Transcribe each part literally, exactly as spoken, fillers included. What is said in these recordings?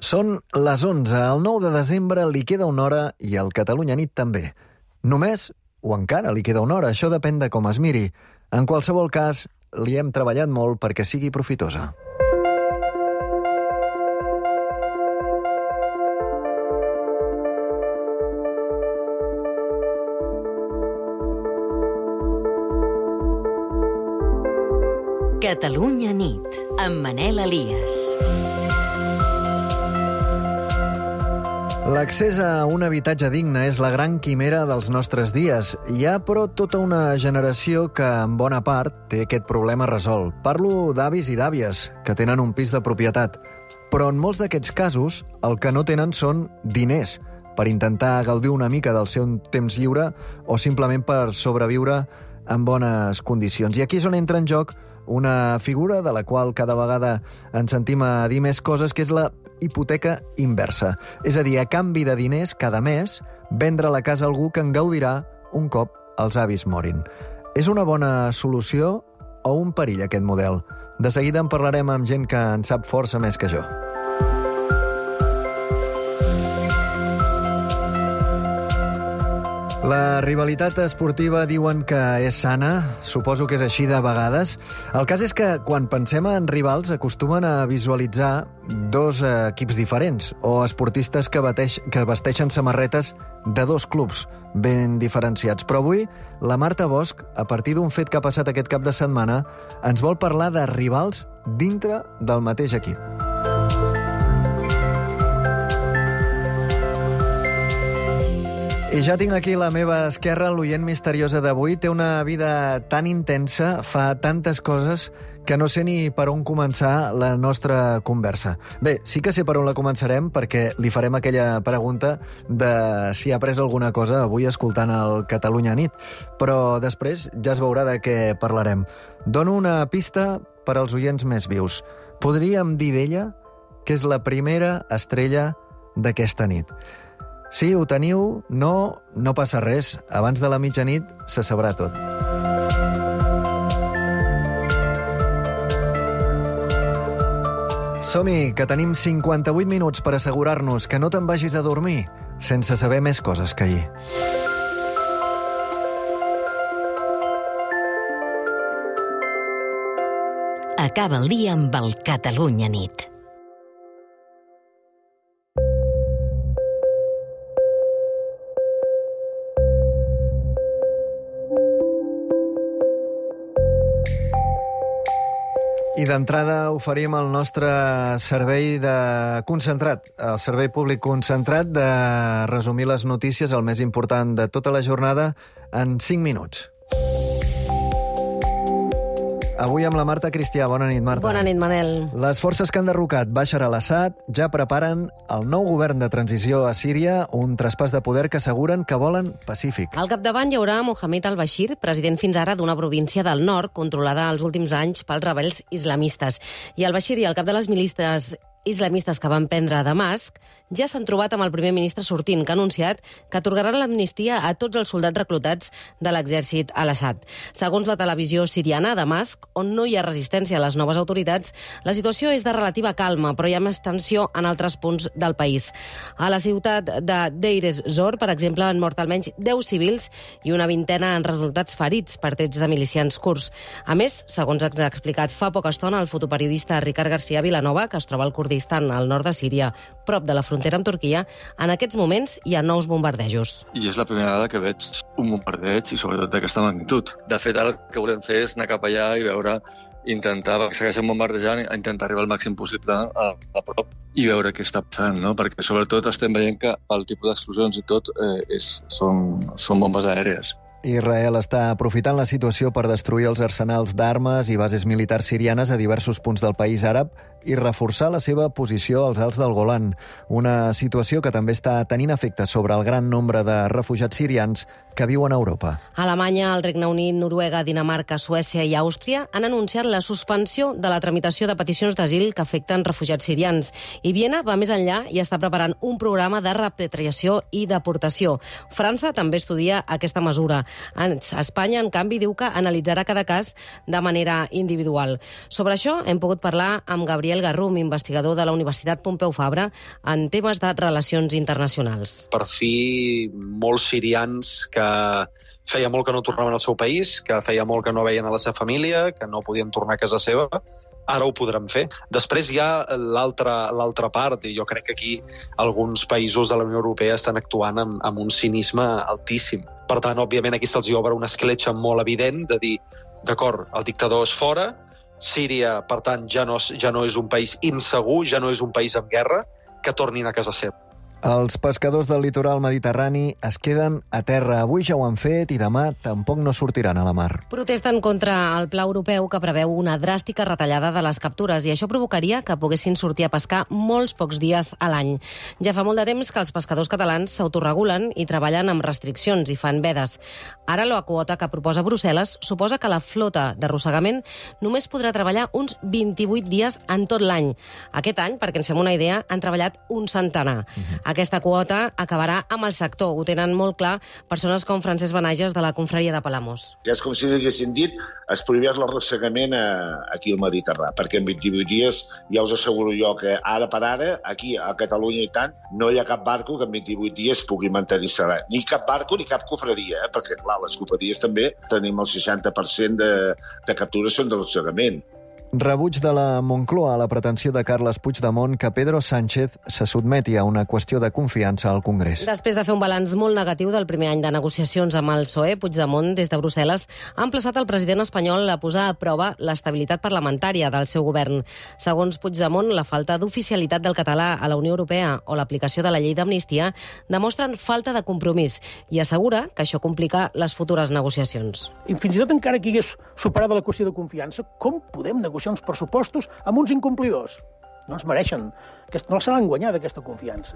Són les onze, el nou de desembre li queda una hora i el Catalunya Nit també. Només, o encara li queda una hora, això depèn de com es miri. En qualsevol cas, li hem treballat molt perquè sigui profitosa. Catalunya Nit, amb Manel Elias. L'accés a un habitatge digne és la gran quimera dels nostres dies. Hi ha, però, tota una generació que, en bona part, té aquest problema resolt. Parlo d'avis i d'àvies, que tenen un pis de propietat. Però en molts d'aquests casos, el que no tenen són diners per intentar gaudir una mica del seu temps lliure o simplement per sobreviure en bones condicions. I aquí és on entra en joc una figura de la qual cada vegada ens sentim a dir més coses, que és la hipoteca inversa. És a dir, a canvi de diners, cada mes, vendre la casa a algú que en gaudirà un cop els avis morin. És una bona solució o un perill, aquest model? De seguida en parlarem amb gent que en sap força més que jo. La rivalitat esportiva diuen que és sana, suposo que és així de vegades. El cas és que quan pensem en rivals acostumen a visualitzar dos equips diferents o esportistes que, bateix, que vesteixen samarretes de dos clubs ben diferenciats. Però avui la Marta Bosch, a partir d'un fet que ha passat aquest cap de setmana, ens vol parlar de rivals dintre del mateix equip. I ja tinc aquí a la meva esquerra l'oient misteriosa d'avui. Té una vida tan intensa, fa tantes coses, que no sé ni per on començar la nostra conversa. Bé, sí que sé per on la començarem, perquè li farem aquella pregunta de si ha après alguna cosa avui escoltant el Catalunya Nit. Però després ja es veurà de què parlarem. Dono una pista per als oients més vius. Podríem dir d'ella que és la primera estrella d'aquesta nit. Si ho teniu, no, no passa res. Abans de la mitjanit se sabrà tot. Som-hi, que tenim cinquanta-vuit minuts per assegurar-nos que no te'n vagis a dormir sense saber més coses que ahir. Acaba el dia amb el Catalunya Nit. I d'entrada oferim el nostre servei de concentrat, el servei públic concentrat de resumir les notícies, el més important de tota la jornada, en cinc minuts. Avui amb la Marta Cristià. Bona nit, Marta. Bona nit, Manel. Les forces que han derrocat Bashar al-Assad ja preparen el nou govern de transició a Síria, un traspàs de poder que asseguren que volen pacífic. Al capdavant hi haurà Mohamed al-Bashir, president fins ara d'una província del nord, controlada els últims anys pels rebels islamistes. I al-Bashir i el cap de les milícies islamistes que van prendre a Damasc ja s'han trobat amb el primer ministre sortint, que ha anunciat que atorgaran l'amnistia a tots els soldats reclutats de l'exèrcit al-Assad. Segons la televisió siriana, a Damasc, on no hi ha resistència a les noves autoritats, la situació és de relativa calma, però hi ha més tensió en altres punts del país. A la ciutat de Deir ez-Zor, per exemple, han mort almenys deu civils i una vintena han resultats ferits per trets de milicians kurds. A més, segons ens ha explicat fa poca estona el fotoperiodista Ricard García Vilanova, que es troba al Kurdistan, al nord de Síria, prop de la frontera amb Turquia, en aquests moments hi ha nous bombardejos. I és la primera vegada que veig un bombardeig i sobretot d'aquesta magnitud. De fet, el que volem fer és anar cap allà i veure, intentar, perquè segueixen bombardejant, intentar arribar al màxim possible a, a prop i veure què està passant, no? Perquè sobretot estem veient que el tipus d'explosions i tot eh, és, són, són bombes aèries. Israel està aprofitant la situació per destruir els arsenals d'armes i bases militars sirianes a diversos punts del país àrab i reforçar la seva posició als Alts del Golan, una situació que també està tenint efecte sobre el gran nombre de refugiats sirians que viuen a Europa. Alemanya, el Regne Unit, Noruega, Dinamarca, Suècia i Àustria han anunciat la suspensió de la tramitació de peticions d'asil que afecten refugiats sirians. I Viena va més enllà i està preparant un programa de repatriació i deportació. França també estudia aquesta mesura. Espanya, en canvi, diu que analitzarà cada cas de manera individual. Sobre això hem pogut parlar amb Gabriel Gabriel Garrum, investigador de la Universitat Pompeu Fabra en temes de relacions internacionals. Per fi, molts sirians que feia molt que no tornaven al seu país, que feia molt que no veien a la seva família, que no podien tornar a casa seva, ara ho podran fer. Després hi ha l'altra l'altra part, i jo crec que aquí alguns països de la Unió Europea estan actuant amb, amb un cinisme altíssim. Per tant, òbviament, aquí se'ls obre una escletxa molt evident de dir, d'acord, el dictador és fora, Síria, per tant, ja no, ja no és un país insegur, ja no és un país en guerra, que tornin a casa seva. Els pescadors del litoral mediterrani es queden a terra. Avui ja ho han fet i demà tampoc no sortiran a la mar. Protesten contra el pla europeu que preveu una dràstica retallada de les captures i això provocaria que poguessin sortir a pescar molts pocs dies a l'any. Ja fa molt de temps que els pescadors catalans s'autoregulen i treballen amb restriccions i fan vedes. Ara la quota que proposa Brussel·les suposa que la flota d'arrossegament només podrà treballar uns vint-i-vuit dies en tot l'any. Aquest any, perquè ens fem una idea, han treballat un centenar. Uh-huh. Aquesta quota acabarà amb el sector. Ho tenen molt clar persones com Francesc Benages de la Confraria de Palamós. Ja és com si haguessin dit es prohibeix l'arrossegament aquí al Mediterrani, perquè en vint-i-vuit dies ja us asseguro jo que ara per ara, aquí a Catalunya i tant, no hi ha cap barco que en vint-i-vuit dies pugui mantenir-se. Ni cap barco ni cap cofreria, eh? Perquè clar, les cofreries també tenim el seixanta per cent de, de captures són d'arrossegament. Rebuig de la Moncloa a la pretensió de Carles Puigdemont que Pedro Sánchez se sotmeti a una qüestió de confiança al Congrés. Després de fer un balanç molt negatiu del primer any de negociacions amb el P S O E, Puigdemont, des de Brussel·les, ha emplaçat el president espanyol a posar a prova l'estabilitat parlamentària del seu govern. Segons Puigdemont, la falta d'oficialitat del català a la Unió Europea o l'aplicació de la llei d'amnistia demostren falta de compromís i assegura que això complica les futures negociacions. I fins i tot encara que hagués superada la qüestió de confiança, com podem negociar uns pressupostos amb uns incomplidors? No ens mereixen, no se l'han guanyat aquesta confiança.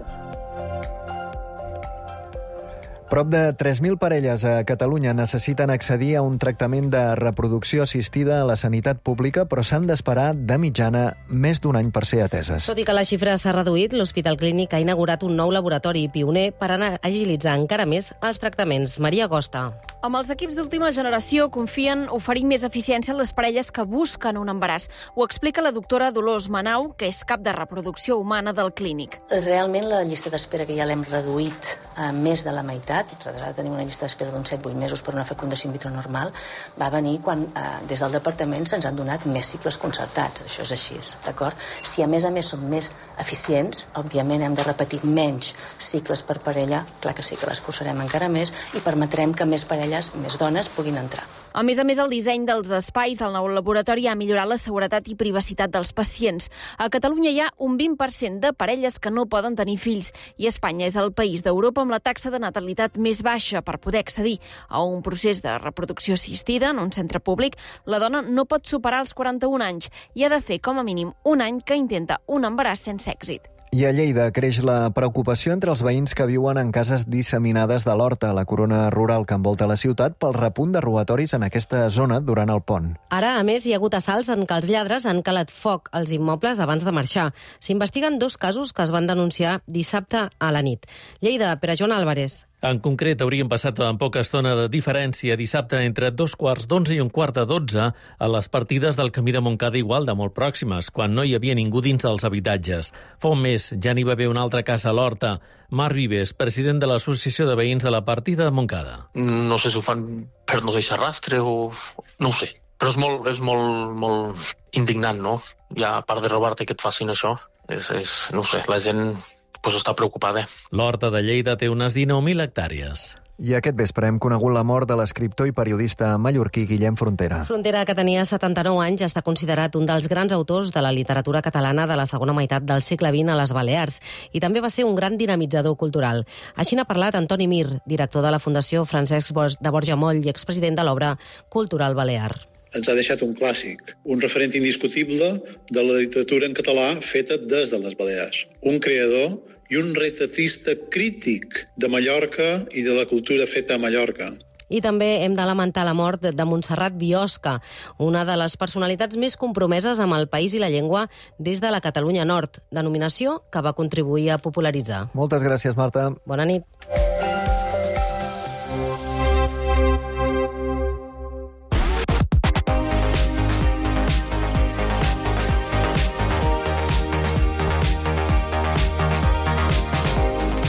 Prop de tres mil parelles a Catalunya necessiten accedir a un tractament de reproducció assistida a la sanitat pública, però s'han d'esperar de mitjana més d'un any per ser ateses. Tot i que la xifra s'ha reduït, l'Hospital Clínic ha inaugurat un nou laboratori pioner per anar agilitzar encara més els tractaments. Maria Costa. Amb els equips d'última generació confien oferir més eficiència a les parelles que busquen un embaràs. Ho explica la doctora Dolors Manau, que és cap de reproducció humana del Clínic. Realment la llista d'espera que ja l'hem reduït a més de la meitat. Nosaltres ara tenim una llista d'espera d'uns set a vuit mesos per una fecundació in vitro normal. Va venir quan eh, des del departament se'ns han donat més cicles concertats. Això és així, d'acord? Si a més a més som més eficients, òbviament hem de repetir menys cicles per parella, clar que sí que les cursarem encara més i permetrem que més parelles, més dones, puguin entrar. A més a més, el disseny dels espais del nou laboratori ha millorat la seguretat i privacitat dels pacients. A Catalunya hi ha un vint per cent de parelles que no poden tenir fills i Espanya és el país d'Europa amb la taxa de natalitat més baixa. Per poder accedir a un procés de reproducció assistida en un centre públic, la dona no pot superar els quaranta-un anys i ha de fer com a mínim un any que intenta un embaràs sense èxit. I a Lleida creix la preocupació entre els veïns que viuen en cases disseminades de l'Horta, la corona rural que envolta la ciutat, pel repunt de robatoris en aquesta zona durant el pont. Ara, a més, hi ha hagut assalts en què els lladres han calat foc als immobles abans de marxar. S'investiguen dos casos que es van denunciar dissabte a la nit. Lleida, Pere Joan Álvarez. En concret, haurien passat en poca estona de diferència dissabte entre dos quarts d'onze i un quart de dotze a les partides del camí de Montcada igual de molt pròximes, quan no hi havia ningú dins dels habitatges. Fa un mes ja n'hi va haver una altra casa a l'Horta. Marc Vives, president de l'Associació de Veïns de la partida de Montcada. No sé si ho fan per no deixar rastre o... no ho sé. Però és molt, és molt, molt indignant, no? Ja, a part de robar-te que et facin això, és, és, no ho sé, la gent... pues està preocupada. L'Horta de Lleida té unes dinou mil hectàrees. I aquest vespre hem conegut la mort de l'escriptor i periodista mallorquí Guillem Frontera. Frontera, que tenia setanta-nou anys, està considerat un dels grans autors de la literatura catalana de la segona meitat del segle vint a les Balears i també va ser un gran dinamitzador cultural. Així n'ha parlat Antoni Mir, director de la Fundació Francesc de Borja Moll i expresident de l'obra Cultural Balear. Ens ha deixat un clàssic, un referent indiscutible de la literatura en català feta des de les Balears. Un creador i un retratista crític de Mallorca i de la cultura feta a Mallorca. I també hem de lamentar la mort de Montserrat Biosca, una de les personalitats més compromeses amb el país i la llengua des de la Catalunya Nord, denominació que va contribuir a popularitzar. Moltes gràcies, Marta. Bona nit.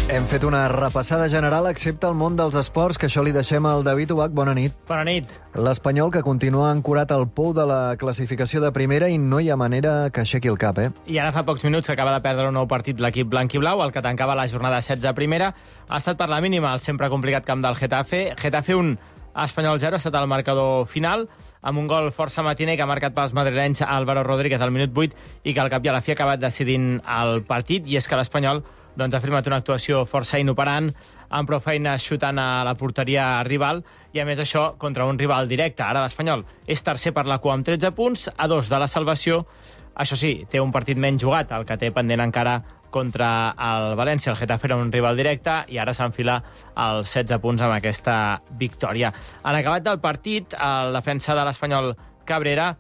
Hem fet una repassada general, excepte el món dels esports, que això li deixem al David Ubach. Bona nit. Bona nit. L'Espanyol, que continua ancorat al pou de la classificació de primera i no hi ha manera que aixequi el cap, eh? I ara fa pocs minuts que acaba de perdre un nou partit l'equip blanc i blau, el que tancava la jornada setze a primera. Ha estat per la mínima el sempre complicat camp del Getafe. Getafe un, Espanyol zero, ha estat el marcador final, amb un gol força matiner que ha marcat pels madrilenys Álvaro Rodríguez al minut vuit i que al cap i a la fi ha acabat decidint el partit. I és que l'Espanyol doncs, ha firmat una actuació força inoperant, amb prou feines xutant a la porteria rival, i a més això contra un rival directe. Ara l'Espanyol és tercer per la cua amb tretze punts, a dos de la salvació. Això sí, té un partit menys jugat, el que té pendent encara contra el València. El Getafe era un rival directe i ara s'enfila als setze punts amb aquesta victòria. En acabat del partit, el defensa de l'Espanyol, Cabrera,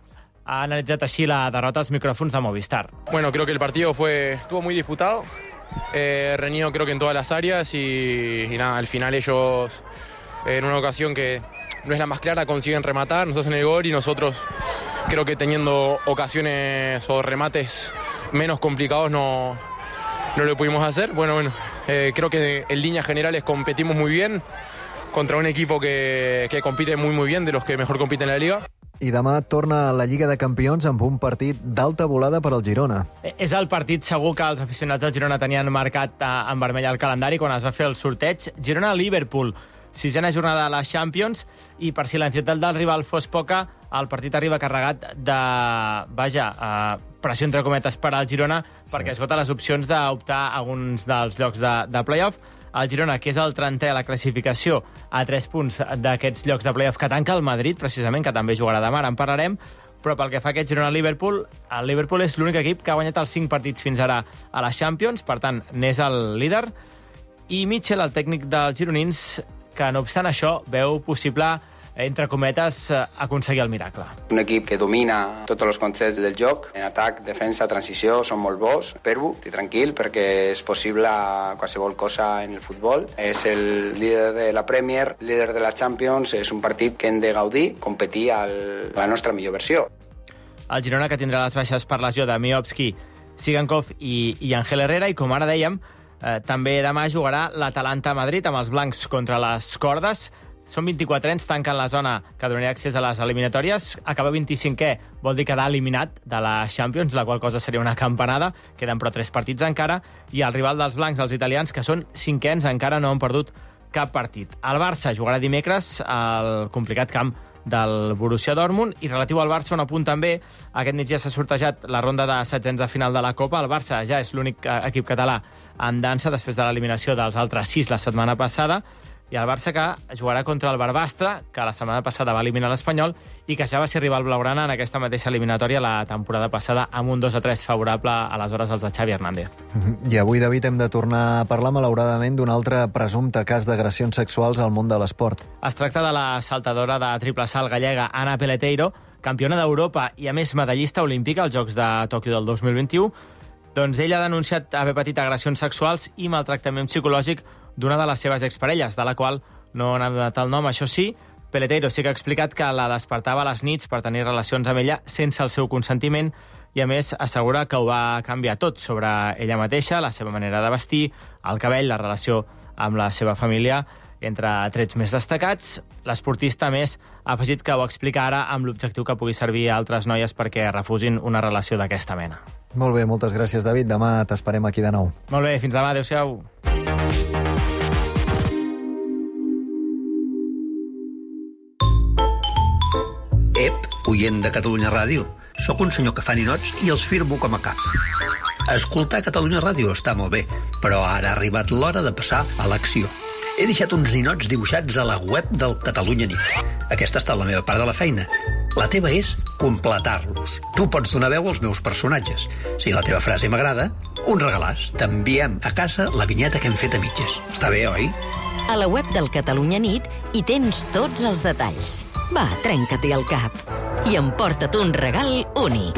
ha analitzat així la derrota als micròfons de Movistar. Bueno, creo que el partido fue estuvo muy disputado, eh, reñido creo que en todas las áreas y, y nada, al final ellos eh, en una ocasión que no es la más clara consiguen rematar, nos hacen el gol y nosotros creo que teniendo ocasiones o remates menos complicados no, no lo pudimos hacer. Bueno, bueno, eh, creo que en líneas generales competimos muy bien contra un equipo que, que compite muy muy bien, de los que mejor compiten en la liga. I demà torna a la Lliga de Campions amb un partit d'alta volada per al Girona. És el partit segur que els aficionats del Girona tenien marcat en vermell al calendari quan es va fer el sorteig. Girona-Liverpool, sisena jornada de la Champions, i per si l'ansietat del rival fos poca, el partit arriba carregat de, vaja, pressió entre cometes per al Girona, sí, perquè esgota les opcions d'optar a alguns dels llocs de, de play-off. El Girona, que és el trentè a la classificació, a tres punts d'aquests llocs de play-off que tanca el Madrid, precisament, que també jugarà demà, ara en parlarem, però pel que fa a aquest Girona-Liverpool, el Liverpool és l'únic equip que ha guanyat els cinc partits fins ara a la Champions, per tant, n'és el líder, i Mitchell, el tècnic dels gironins, que no obstant això, veu possible, entre cometes, aconseguir el miracle. Un equip que domina tots els conceptes del joc, en atac, defensa, transició, són molt bons. Espero, estic tranquil, perquè és possible qualsevol cosa en el futbol. És el líder de la Premier, líder de la Champions, és un partit que hem de gaudir, competir a la nostra millor versió. El Girona, que tindrà les baixes per lesió de Miovski, Sigankov i, i Ángel Herrera, i com ara dèiem, eh, també demà jugarà l'Atalanta a Madrid amb els blancs contra les cordes. Són vint-i-quatre anys, tanquen la zona que donaria accés a les eliminatòries. Acaba vint-i-cinquè, vol dir quedar eliminat de la Champions, la qual cosa seria una campanada. Queden però tres partits encara. I el rival dels blancs, els italians, que són cinquens, encara no han perdut cap partit. El Barça jugarà dimecres al complicat camp del Borussia Dortmund, i relatiu al Barça, un apunt també, aquest migdia s'ha sortejat la ronda de setzents de final de la Copa. El Barça ja és l'únic equip català en dansa després de l'eliminació dels altres sis la setmana passada, i el Barça que jugarà contra el Barbastre, que la setmana passada va eliminar l'Espanyol i que ja va ser rival blaugrana en aquesta mateixa eliminatòria la temporada passada amb un dos a tres favorable a les hores dels de Xavi Hernández. I avui, David, hem de tornar a parlar, malauradament, d'un altre presumpte cas d'agressions sexuals al món de l'esport. Es tracta de la saltadora de triple salt gallega Ana Peleteiro, campiona d'Europa i, a més, medallista olímpica als Jocs de Tòquio del dos mil vint-i-u. Doncs ella ha denunciat haver patit agressions sexuals i maltractament psicològic d'una de les seves exparelles, de la qual no n'ha donat el nom. Això sí, Peleteiro sí que ha explicat que la despertava a les nits per tenir relacions amb ella sense el seu consentiment, i a més assegura que ho va canviar tot sobre ella mateixa, la seva manera de vestir, el cabell, la relació amb la seva família, entre trets més destacats. L'esportista, a més, ha afegit que ho explica ara amb l'objectiu que pugui servir a altres noies perquè refusin una relació d'aquesta mena. Molt bé, moltes gràcies, David. Demà t'esperem aquí de nou. Molt bé, fins demà. Adéu-siau. Ep, oient de Catalunya Ràdio. Soc un senyor que fa ninots i els firmo com a cap. Escoltar Catalunya Ràdio està molt bé, però ara ha arribat l'hora de passar a l'acció. He deixat uns ninots dibuixats a la web del Catalunya Nit. Aquesta ha estat la meva part de la feina. La teva és completar-los. Tu pots donar veu als meus personatges. Si la teva frase m'agrada, un regalàs. T'enviem a casa la vinyeta que hem fet a mitges. Està bé, oi? A la web del Catalunya Nit hi tens tots els detalls. Va, trenca-t'hi el cap i emporta't un regal únic.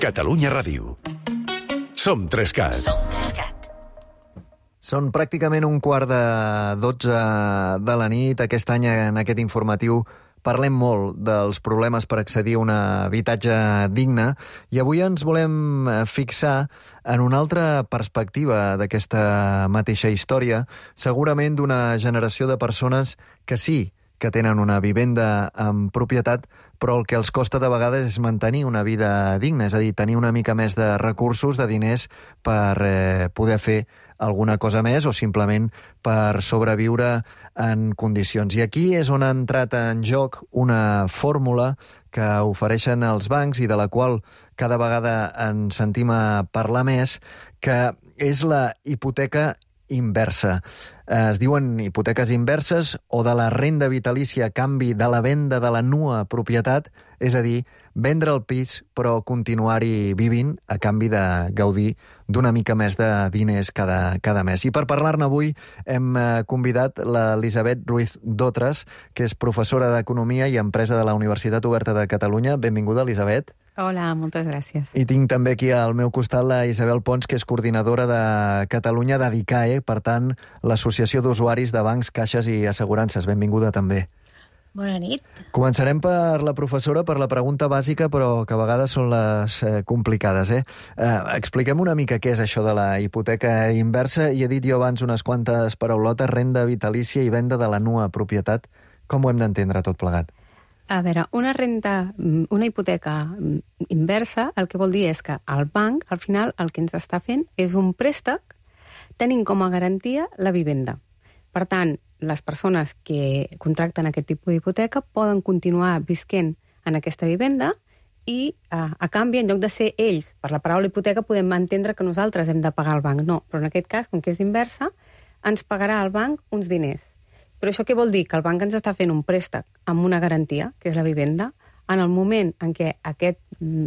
Catalunya Ràdio. Som Trescat. Som Trescat. Són pràcticament un quart de dotze de la nit. Aquest any, en aquest informatiu, parlem molt dels problemes per accedir a un habitatge digne i avui ens volem fixar en una altra perspectiva d'aquesta mateixa història, segurament d'una generació de persones que sí que tenen una vivenda en propietat, però el que els costa de vegades és mantenir una vida digna, és a dir, tenir una mica més de recursos, de diners, per eh, poder fer alguna cosa més o simplement per sobreviure en condicions. I aquí és on ha entrat en joc una fórmula que ofereixen els bancs i de la qual cada vegada en sentim a parlar més, que és la hipoteca inversa. Es diuen hipoteques inverses o de la renda vitalícia a canvi de la venda de la nua propietat, és a dir, vendre el pis però continuar-hi vivint a canvi de gaudir d'una mica més de diners cada, cada mes. I per parlar-ne avui hem convidat l'Elisabet Ruiz Dotres, que és professora d'Economia i Empresa de la Universitat Oberta de Catalunya. Benvinguda, Elisabet. Hola, moltes gràcies. I tinc també aquí al meu costat la Isabel Pons, que és coordinadora de Catalunya de DICAE, per tant, l'Associació d'Usuaris de Bancs, Caixes i Assegurances. Benvinguda també. Bona nit. Començarem per la professora, per la pregunta bàsica, però que a vegades són les eh, complicades. Eh? Eh, expliquem una mica què és això de la hipoteca inversa, i he dit jo abans unes quantes paraulotes, renda vitalícia i venda de la nua propietat. Com ho hem d'entendre tot plegat? A veure, una renta, una hipoteca inversa, el que vol dir és que el banc, al final, el que ens està fent és un préstec tenint com a garantia la vivenda. Per tant, les persones que contracten aquest tipus d'hipoteca poden continuar visquent en aquesta vivenda i, a, a canvi, en lloc de ser ells, per la paraula hipoteca podem entendre que nosaltres hem de pagar al banc. No, però en aquest cas, com que és inversa, ens pagarà el banc uns diners. Però això què vol dir? Que el banc ens està fent un préstec amb una garantia, que és la vivenda, en el moment en què aquest,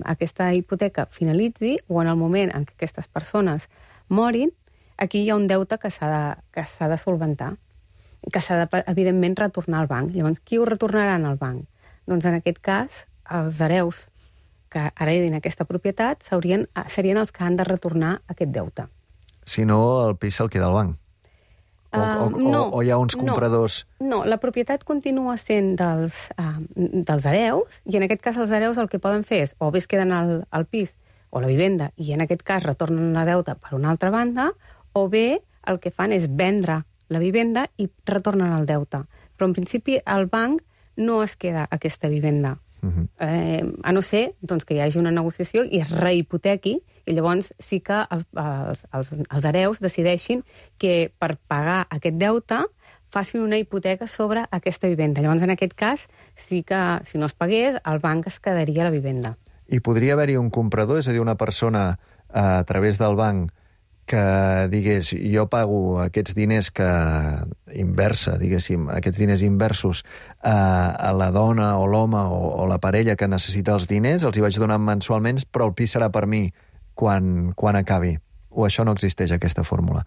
aquesta hipoteca finalitzi o en el moment en què aquestes persones morin, aquí hi ha un deute que s'ha de, que s'ha de solventar, que s'ha de, evidentment, retornar al banc. Llavors, qui ho retornaran al banc? Doncs, en aquest cas, els hereus que heredin aquesta propietat serien, serien els que han de retornar aquest deute. Si no, el pis se'l queda al banc. O, o, uh, no, o hi ha uns compradors... No, no, la propietat continua sent dels, uh, dels hereus, i en aquest cas els hereus el que poden fer és o bé es queden al, al pis o la vivenda i en aquest cas retornen la deuta per una altra banda, o bé el que fan és vendre la vivenda i retornen el deute. Però en principi el banc no es queda aquesta vivenda. Uh-huh. eh, a no ser doncs, que hi hagi una negociació i es rehipotequi, i llavors sí que els, els, els, els hereus decideixin que per pagar aquest deute facin una hipoteca sobre aquesta vivenda. Llavors, en aquest cas, sí que si no es pagués, el banc es quedaria la vivenda. I podria haver-hi un comprador, és a dir, una persona a través del banc que digués, jo pago aquests diners que inversa, diguéssim, aquests diners inversos a, a la dona o l'home o, o la parella que necessita els diners, els hi vaig donant mensualment, però el pis serà per mi quan, quan acabi. O això no existeix, aquesta fórmula?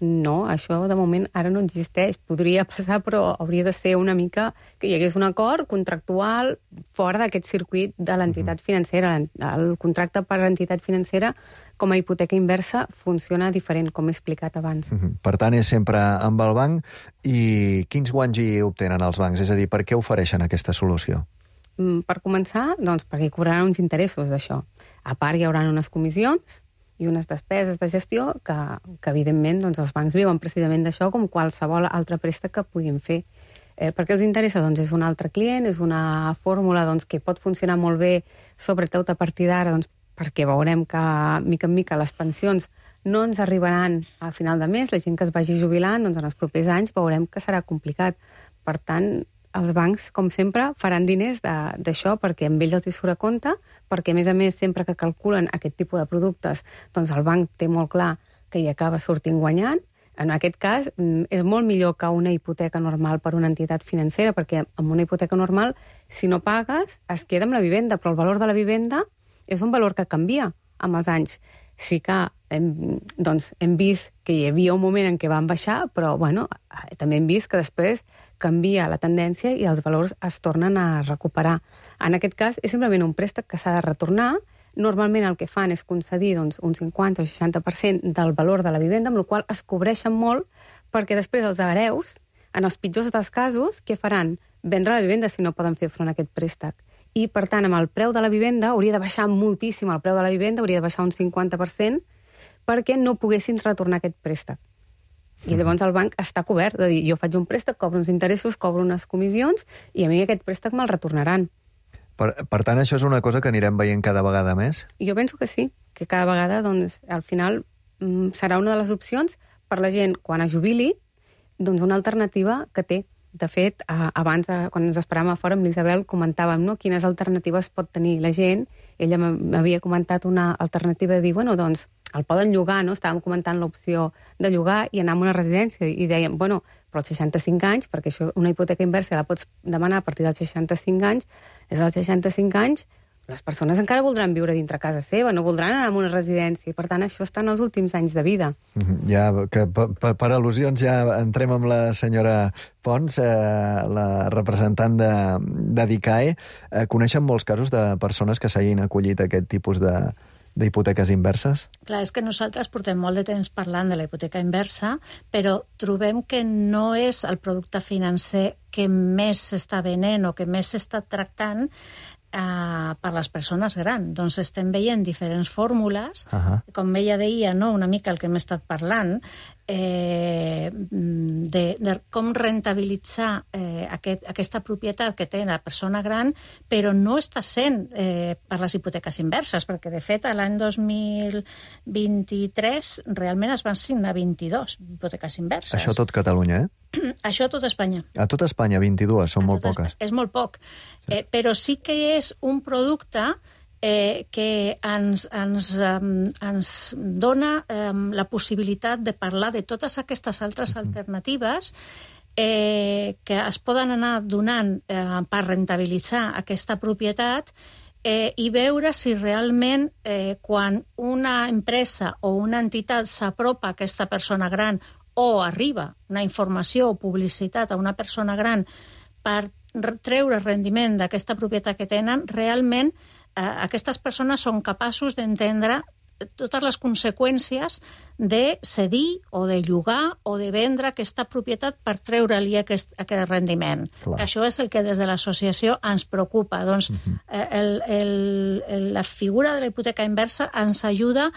No, això de moment ara no existeix. Podria passar, però hauria de ser una mica que hi hagués un acord contractual fora d'aquest circuit de l'entitat financera. El contracte per l'entitat financera com a hipoteca inversa funciona diferent, com he explicat abans. Uh-huh. Per tant, és sempre amb el banc. I quins guanys hi obtenen els bancs? És a dir, per què ofereixen aquesta solució? Per començar, doncs perquè cobraran uns interessos d'això. A part, hi haurà unes comissions i unes despeses de gestió que, que evidentment, doncs, els bancs viuen precisament d'això com qualsevol altre préstec que puguin fer. Eh, per què els interessa? Doncs és un altre client, és una fórmula doncs, que pot funcionar molt bé, sobretot a partir d'ara, doncs, perquè veurem que, mica en mica, les pensions no ens arribaran a final de mes, la gent que es vagi jubilant, doncs en els propers anys veurem que serà complicat. Per tant, els bancs, com sempre, faran diners d'això perquè amb ells els hi surt a compte, perquè, a més a més, sempre que calculen aquest tipus de productes, doncs el banc té molt clar que hi acaba sortint guanyant. En aquest cas, és molt millor que una hipoteca normal per una entitat financera, perquè amb una hipoteca normal, si no pagues, es queda amb la vivenda, però el valor de la vivenda és un valor que canvia amb els anys. Sí que hem, doncs, hem vist que hi havia un moment en què van baixar, però bueno, també hem vist que després canvia la tendència i els valors es tornen a recuperar. En aquest cas, és simplement un préstec que s'ha de retornar. Normalment el que fan és concedir doncs, un cinquanta o seixanta per cent del valor de la vivenda, amb la qual es cobreixen molt, perquè després els hereus, en els pitjors dels casos, què faran? vendre la vivenda si no poden fer front a aquest préstec. I, per tant, amb el preu de la vivenda hauria de baixar moltíssim, el preu de la vivenda hauria de baixar un cinquanta per cent perquè no poguessin retornar aquest préstec. I llavors el banc està cobert, de dir, jo faig un préstec, cobro uns interessos, cobro unes comissions, i a mi aquest préstec me'l retornaran. Per, per tant, això és una cosa que anirem veient cada vegada més? Jo penso que sí, que cada vegada, doncs, al final, serà una de les opcions per la gent, quan es jubili, doncs una alternativa que té. De fet, abans, quan ens esperàvem a fora, amb l'Isabel comentàvem, no?, quines alternatives pot tenir la gent. Ella m'havia comentat una alternativa de dir, bueno, doncs, el poden llogar, no? Estàvem comentant l'opció de llogar i anar a una residència. I dèiem, bueno, però als seixanta-cinc anys, perquè això, una hipoteca inversa la pots demanar a partir dels seixanta-cinc anys, és als seixanta-cinc anys, les persones encara voldran viure dintre casa seva, no voldran anar a una residència, i per tant això està en els últims anys de vida. Ja, que per, per al·lusions ja entrem amb la senyora Pons, eh, la representant de, de d'I C A E. Eh, coneixen molts casos de persones que s'hagin acollit a aquest tipus de d'hipoteques inverses? Clar, és que nosaltres portem molt de temps parlant de la hipoteca inversa, però trobem que no és el producte financer que més s'està venent o que més s'està tractant Uh, per les persones grans. Doncs estem veient diferents fórmules, uh-huh. com ella deia, no, una mica el que hem estat parlant, eh, de, de com rentabilitzar eh, aquest, aquesta propietat que té la persona gran, però no està sent eh, per les hipoteques inverses, perquè de fet l'any dos mil vint-i-tres realment es van signar vint-i-dos hipoteques inverses. Això tot Catalunya, eh? Això a tot Espanya. A tot Espanya, vint-i-dues, són molt poques. És molt poc, sí. eh, però sí que és un producte eh, que ens, ens, um, ens dona um, la possibilitat de parlar de totes aquestes altres uh-huh. alternatives eh, que es poden anar donant eh, per rentabilitzar aquesta propietat eh, i veure si realment eh, quan una empresa o una entitat s'apropa a aquesta persona gran o arriba una informació o publicitat a una persona gran per treure rendiment d'aquesta propietat que tenen, realment eh, aquestes persones són capaços d'entendre totes les conseqüències de cedir o de llogar o de vendre aquesta propietat per treure-li aquest, aquest rendiment. Clar. Això és el que des de l'associació ens preocupa. Doncs uh-huh. el, el, el, la figura de la hipoteca inversa ens ajuda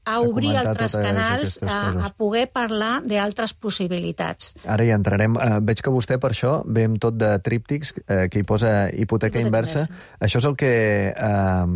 a obrir a altres canals, a, a poder parlar d'altres possibilitats. Ara hi entrarem. Uh, veig que vostè, per això, ve amb tot de tríptics, uh, que hi posa hipoteca, hipoteca inversa. inversa. Això és el que uh,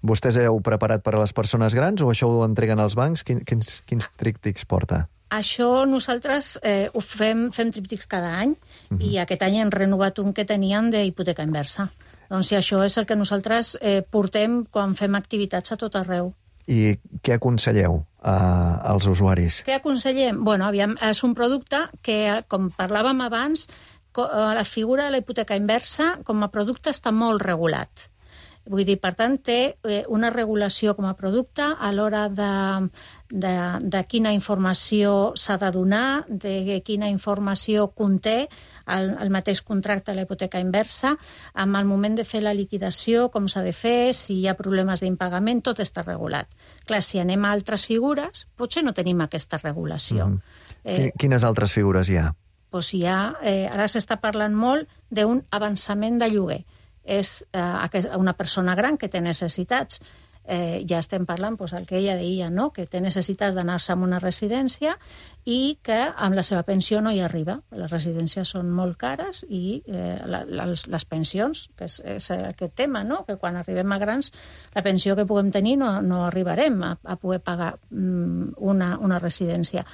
vostès heu preparat per a les persones grans o això ho entreguen als bancs? Quin, quins, quins tríptics porta? Això nosaltres eh, ho fem, fem tríptics cada any uh-huh. i aquest any hem renovat un que teníem d'hipoteca inversa. Doncs sí, això és el que nosaltres eh, portem quan fem activitats a tot arreu. I què aconselleu uh, als usuaris? Què aconsellem? Bueno, aviam, és un producte que, com parlàvem abans, la figura de la hipoteca inversa com a producte està molt regulat. Vull dir, per tant, té una regulació com a producte a l'hora de, de, de quina informació s'ha de donar, de quina informació conté el, el mateix contracte de la hipoteca inversa, amb el moment de fer la liquidació, com s'ha de fer, si hi ha problemes d'impagament, tot està regulat. Clar, si anem a altres figures, potser no tenim aquesta regulació. Mm. Eh, Quines altres figures hi ha? Doncs hi ha, eh, ara s'està parlant molt d'un avançament de lloguer. És eh, una persona gran que té necessitats. Eh, ja estem parlant, doncs, el que ella deia, no? Que té necessitats d'anar-se a una residència i que amb la seva pensió no hi arriba. Les residències són molt cares i eh, la, les, les pensions, que és, és aquest tema, no? Que quan arribem a grans, la pensió que puguem tenir no, no arribarem a, a poder pagar mm, una, una residència.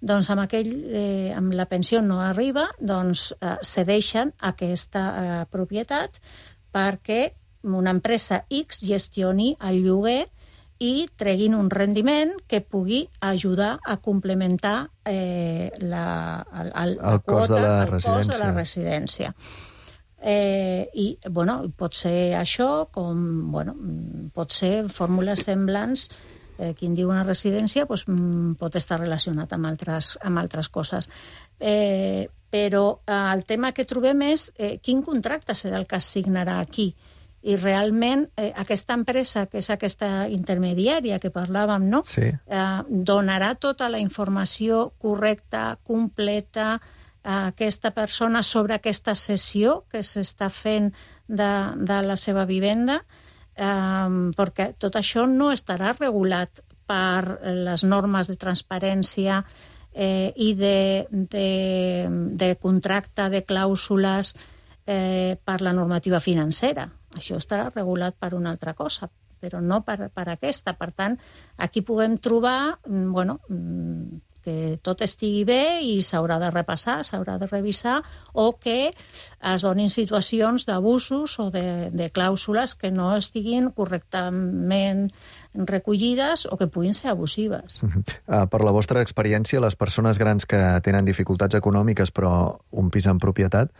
Doncs amb, aquell, eh, amb la pensió no arriba, doncs eh, cedeixen aquesta eh, propietat perquè una empresa X gestioni el lloguer i treguin un rendiment que pugui ajudar a complementar eh, la, el, el, el, la cost quota, de la el cost de la residència. Eh, I, bueno, pot ser això, com, bueno, pot ser fórmules semblants. Eh, qui en diu una residència doncs, pot estar relacionat amb altres, amb altres coses. Eh, però eh, el tema que trobem és eh, quin contracte serà el que es signarà aquí. I realment eh, aquesta empresa, que és aquesta intermediària que parlàvem, no? Sí. eh, donarà tota la informació correcta, completa, aquesta persona sobre aquesta cessió que s'està fent de, de la seva vivenda, eh, perquè tot això no estarà regulat per les normes de transparència eh, i de, de, de contracte, de clàusules eh, per la normativa financera. Això estarà regulat per una altra cosa, però no per, per aquesta. Per tant, aquí puguem trobar, bueno, que tot estigui bé i s'haurà de repassar, s'haurà de revisar, o que es donin situacions d'abusos o de, de clàusules que no estiguin correctament recollides o que puguin ser abusives. Uh-huh. Uh, per la vostra experiència, les persones grans que tenen dificultats econòmiques però un pis en propietat,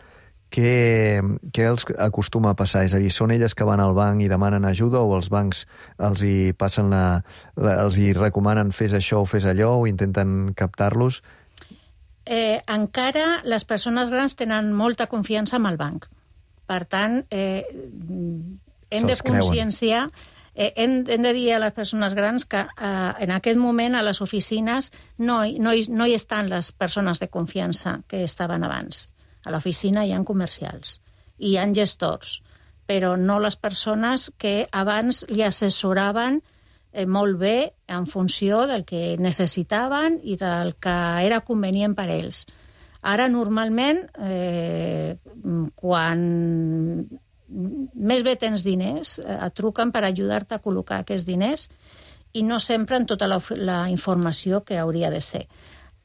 què, què els acostuma a passar? És a dir, són elles que van al banc i demanen ajuda o els bancs els hi passen la, la, els hi recomanen fes això o fes allò o intenten captar-los? Eh, encara les persones grans tenen molta confiança en el banc. Per tant, eh, hem de conscienciar, eh, hem, hem de dir a les persones grans que eh, en aquest moment a les oficines no, no, hi, no hi estan les persones de confiança que estaven abans. A l'oficina hi ha comercials i hi ha gestors, però no les persones que abans li assessoraven eh, molt bé en funció del que necessitaven i del que era convenient per a ells. Ara, normalment, eh, quan més bé tens diners, eh, et truquen per ajudar-te a col·locar aquests diners i no sempre en tota la, la informació que hauria de ser.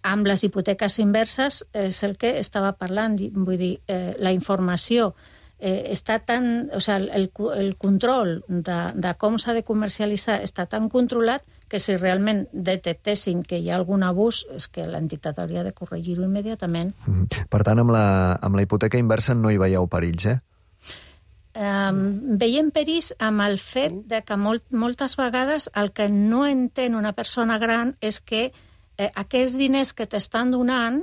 Amb les hipoteques inverses és el que estava parlant, vull dir, eh, la informació eh, està tan... O sigui, el, el control de, de com s'ha de comercialitzar està tan controlat que si realment detectessin que hi ha algun abús, és que l'entitat hauria de corregir-ho immediatament. Mm-hmm. Per tant, amb la, amb la hipoteca inversa no hi veieu perills, eh? Um, veiem perills amb el fet de que molt, moltes vegades el que no entén una persona gran és que Eh, aquests diners que t'estan donant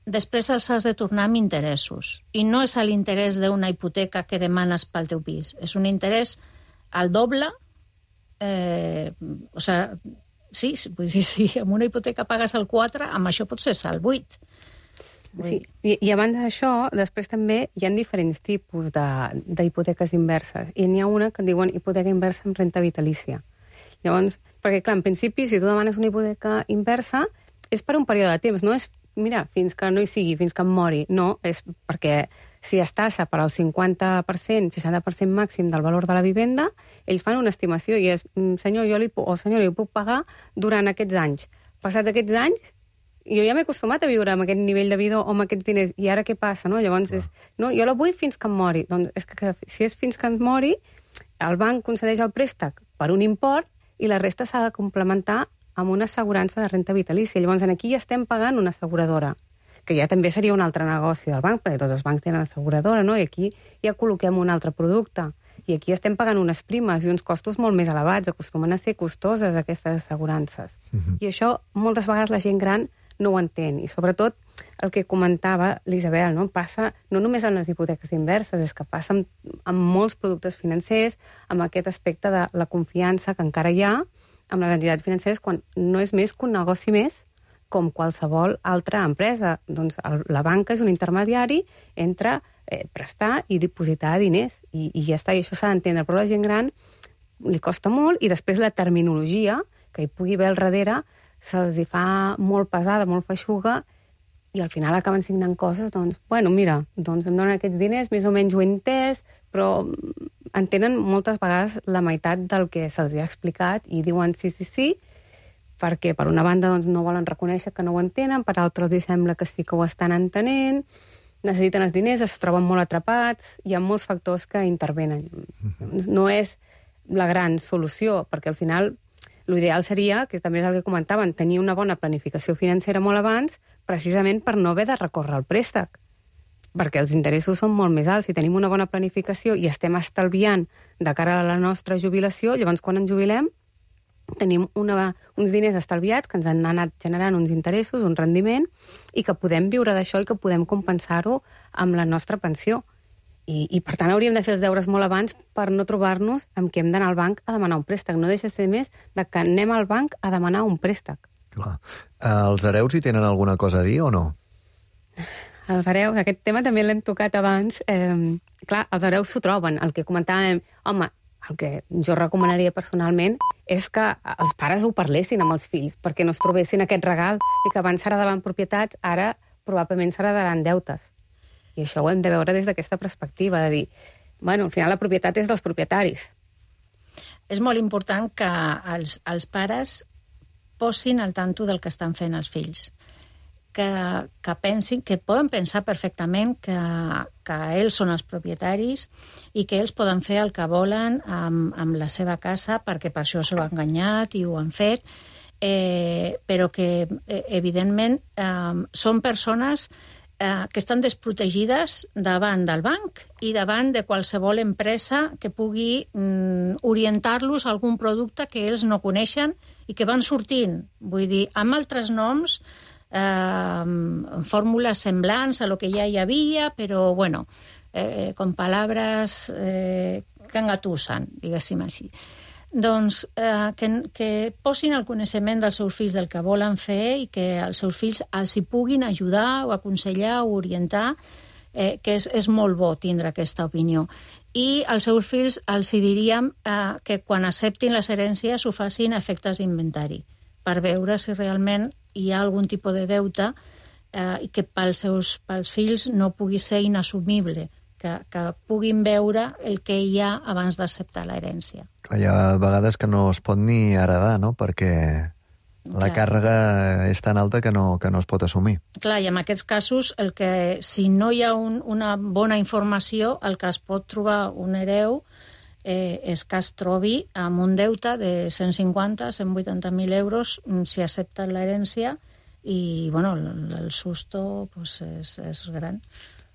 després els has de tornar amb interessos. I no és l'interès d'una hipoteca que demanes pel teu pis. És un interès al doble. Eh, o sigui, sí, vull dir, si amb una hipoteca pagues el quatre, amb això pot ser el vuit. Sí, i, i a banda d'això, després també hi ha diferents tipus d'hipoteques inverses. I n'hi ha una que en diuen hipoteca inversa amb renta vitalícia. Llavors, perquè, clar, en principi, si tu demanes una hipoteca inversa, és per un període de temps, no és, mira, fins que no hi sigui, fins que em mori. No, és perquè si es tassa per al cinquanta per cent, seixanta per cent màxim del valor de la vivenda, ells fan una estimació i és, senyor, jo li puc, o senyor, li puc pagar durant aquests anys. Passats aquests anys, jo ja m'he acostumat a viure amb aquest nivell de vida o amb aquests diners, i ara què passa, no? Llavors és, no, jo la vull fins que em mori. Doncs és que, que si és fins que em mori, el banc concedeix el préstec per un import i la resta s'ha de complementar amb una assegurança de renta vitalícia. Llavors, aquí ja estem pagant una asseguradora, que ja també seria un altre negoci del banc, perquè tots els bancs tenen asseguradora, no? I aquí ja col·loquem un altre producte. I aquí estem pagant unes primes i uns costos molt més elevats, acostumen a ser costoses aquestes assegurances. Uh-huh. I això moltes vegades la gent gran no ho entén. I sobretot el que comentava l'Isabel, no? Passa no només en les hipoteques inverses, és que passa amb, amb molts productes financers, amb aquest aspecte de la confiança que encara hi ha amb les entitats financeres, quan no és més que un negoci més com qualsevol altra empresa. Doncs el, la banca és un intermediari entre eh, prestar i dipositar diners, i, i ja està, i això s'ha d'entendre. Però a la gent gran li costa molt, i després la terminologia que hi pugui haver al darrere se'ls hi fa molt pesada, molt feixuga, i al final acaben signant coses, doncs, bueno, mira, doncs em donen aquests diners, més o menys ho he entès, però entenen moltes vegades la meitat del que se'ls ha explicat i diuen sí, sí, sí, perquè per una banda doncs, no volen reconèixer que no ho entenen, per altra els sembla que sí que ho estan entenent, necessiten els diners, es troben molt atrapats, hi ha molts factors que intervenen. No és la gran solució, perquè al final l'ideal seria, que també és el que comentaven, tenir una bona planificació financera molt abans, precisament per no haver de recórrer al préstec, perquè els interessos són molt més alts. Si tenim una bona planificació i estem estalviant de cara a la nostra jubilació, llavors quan ens jubilem tenim una, uns diners estalviats que ens han anat generant uns interessos, un rendiment, i que podem viure d'això i que podem compensar-ho amb la nostra pensió. I, I, per tant, hauríem de fer els deures molt abans per no trobar-nos amb que hem d'anar al banc a demanar un préstec. No deixa de ser més de que anem al banc a demanar un préstec. Clar. Els hereus hi tenen alguna cosa a dir o no? els hereus, aquest tema també l'hem tocat abans. Eh, clar, els hereus s'ho troben. El que comentàvem, home, el que jo recomanaria personalment és que els pares ho parlessin amb els fills, perquè no es trobessin aquest regal i que abans s'heredaven propietats, ara probablement s'heredaran deutes. I això ho hem de veure des d'aquesta perspectiva, de dir, bueno, al final la propietat és dels propietaris. És molt important que els, els pares posin al tanto del que estan fent els fills. Que, que pensin, que poden pensar perfectament que, que ells són els propietaris i que ells poden fer el que volen amb, amb la seva casa, perquè per això s'ho han enganyat i ho han fet, eh, però que, eh, evidentment, eh, són persones eh, que estan desprotegides davant del banc i davant de qualsevol empresa que pugui mm, orientar-los a algun producte que ells no coneixen i que van sortint. Vull dir, amb altres noms, Eh, fórmules semblants a lo que ja hi havia, però, bueno, eh, con palabras eh, que engatussen, diguéssim així. Doncs eh, que, que posin el coneixement dels seus fills del que volen fer i que els seus fills els hi puguin ajudar o aconsellar o orientar, eh, que és, és molt bo tindre aquesta opinió. I als seus fills els hi diríem eh, que quan acceptin les herències ho facin a efectes d'inventari, per veure si realment hi ha algun tipus de deute eh, i que pels seus pels fills no pugui ser inassumible, que, que puguin veure el que hi ha abans d'acceptar l'herència. Clar, hi ha vegades que no es pot ni heredar, no?, perquè la Clar. càrrega és tan alta que no, que no es pot assumir. Clar, i en aquests casos, el que, si no hi ha un, una bona informació, el que es pot trobar un hereu eh, és que es trobi amb un deute de cent cinquanta a cent vuitanta mil euros si accepten l'herència i, bueno, el, el susto pues, és, és gran.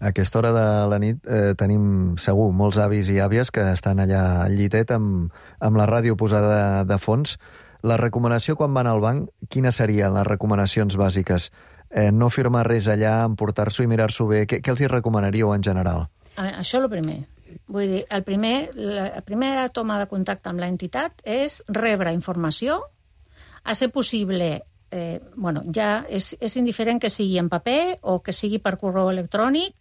A aquesta hora de la nit eh, tenim segur molts avis i àvies que estan allà al llitet amb, amb la ràdio posada de, de fons. La recomanació quan van al banc, quines serien les recomanacions bàsiques? Eh, no firmar res allà, emportar-s'ho i mirar-s'ho bé. Què, què els hi recomanaríeu en general? A veure, això és el primer. Vull dir, el primer, la primera toma de contacte amb l'entitat és rebre informació, a ser possible, eh, bueno, ja és, és indiferent que sigui en paper o que sigui per correu electrònic,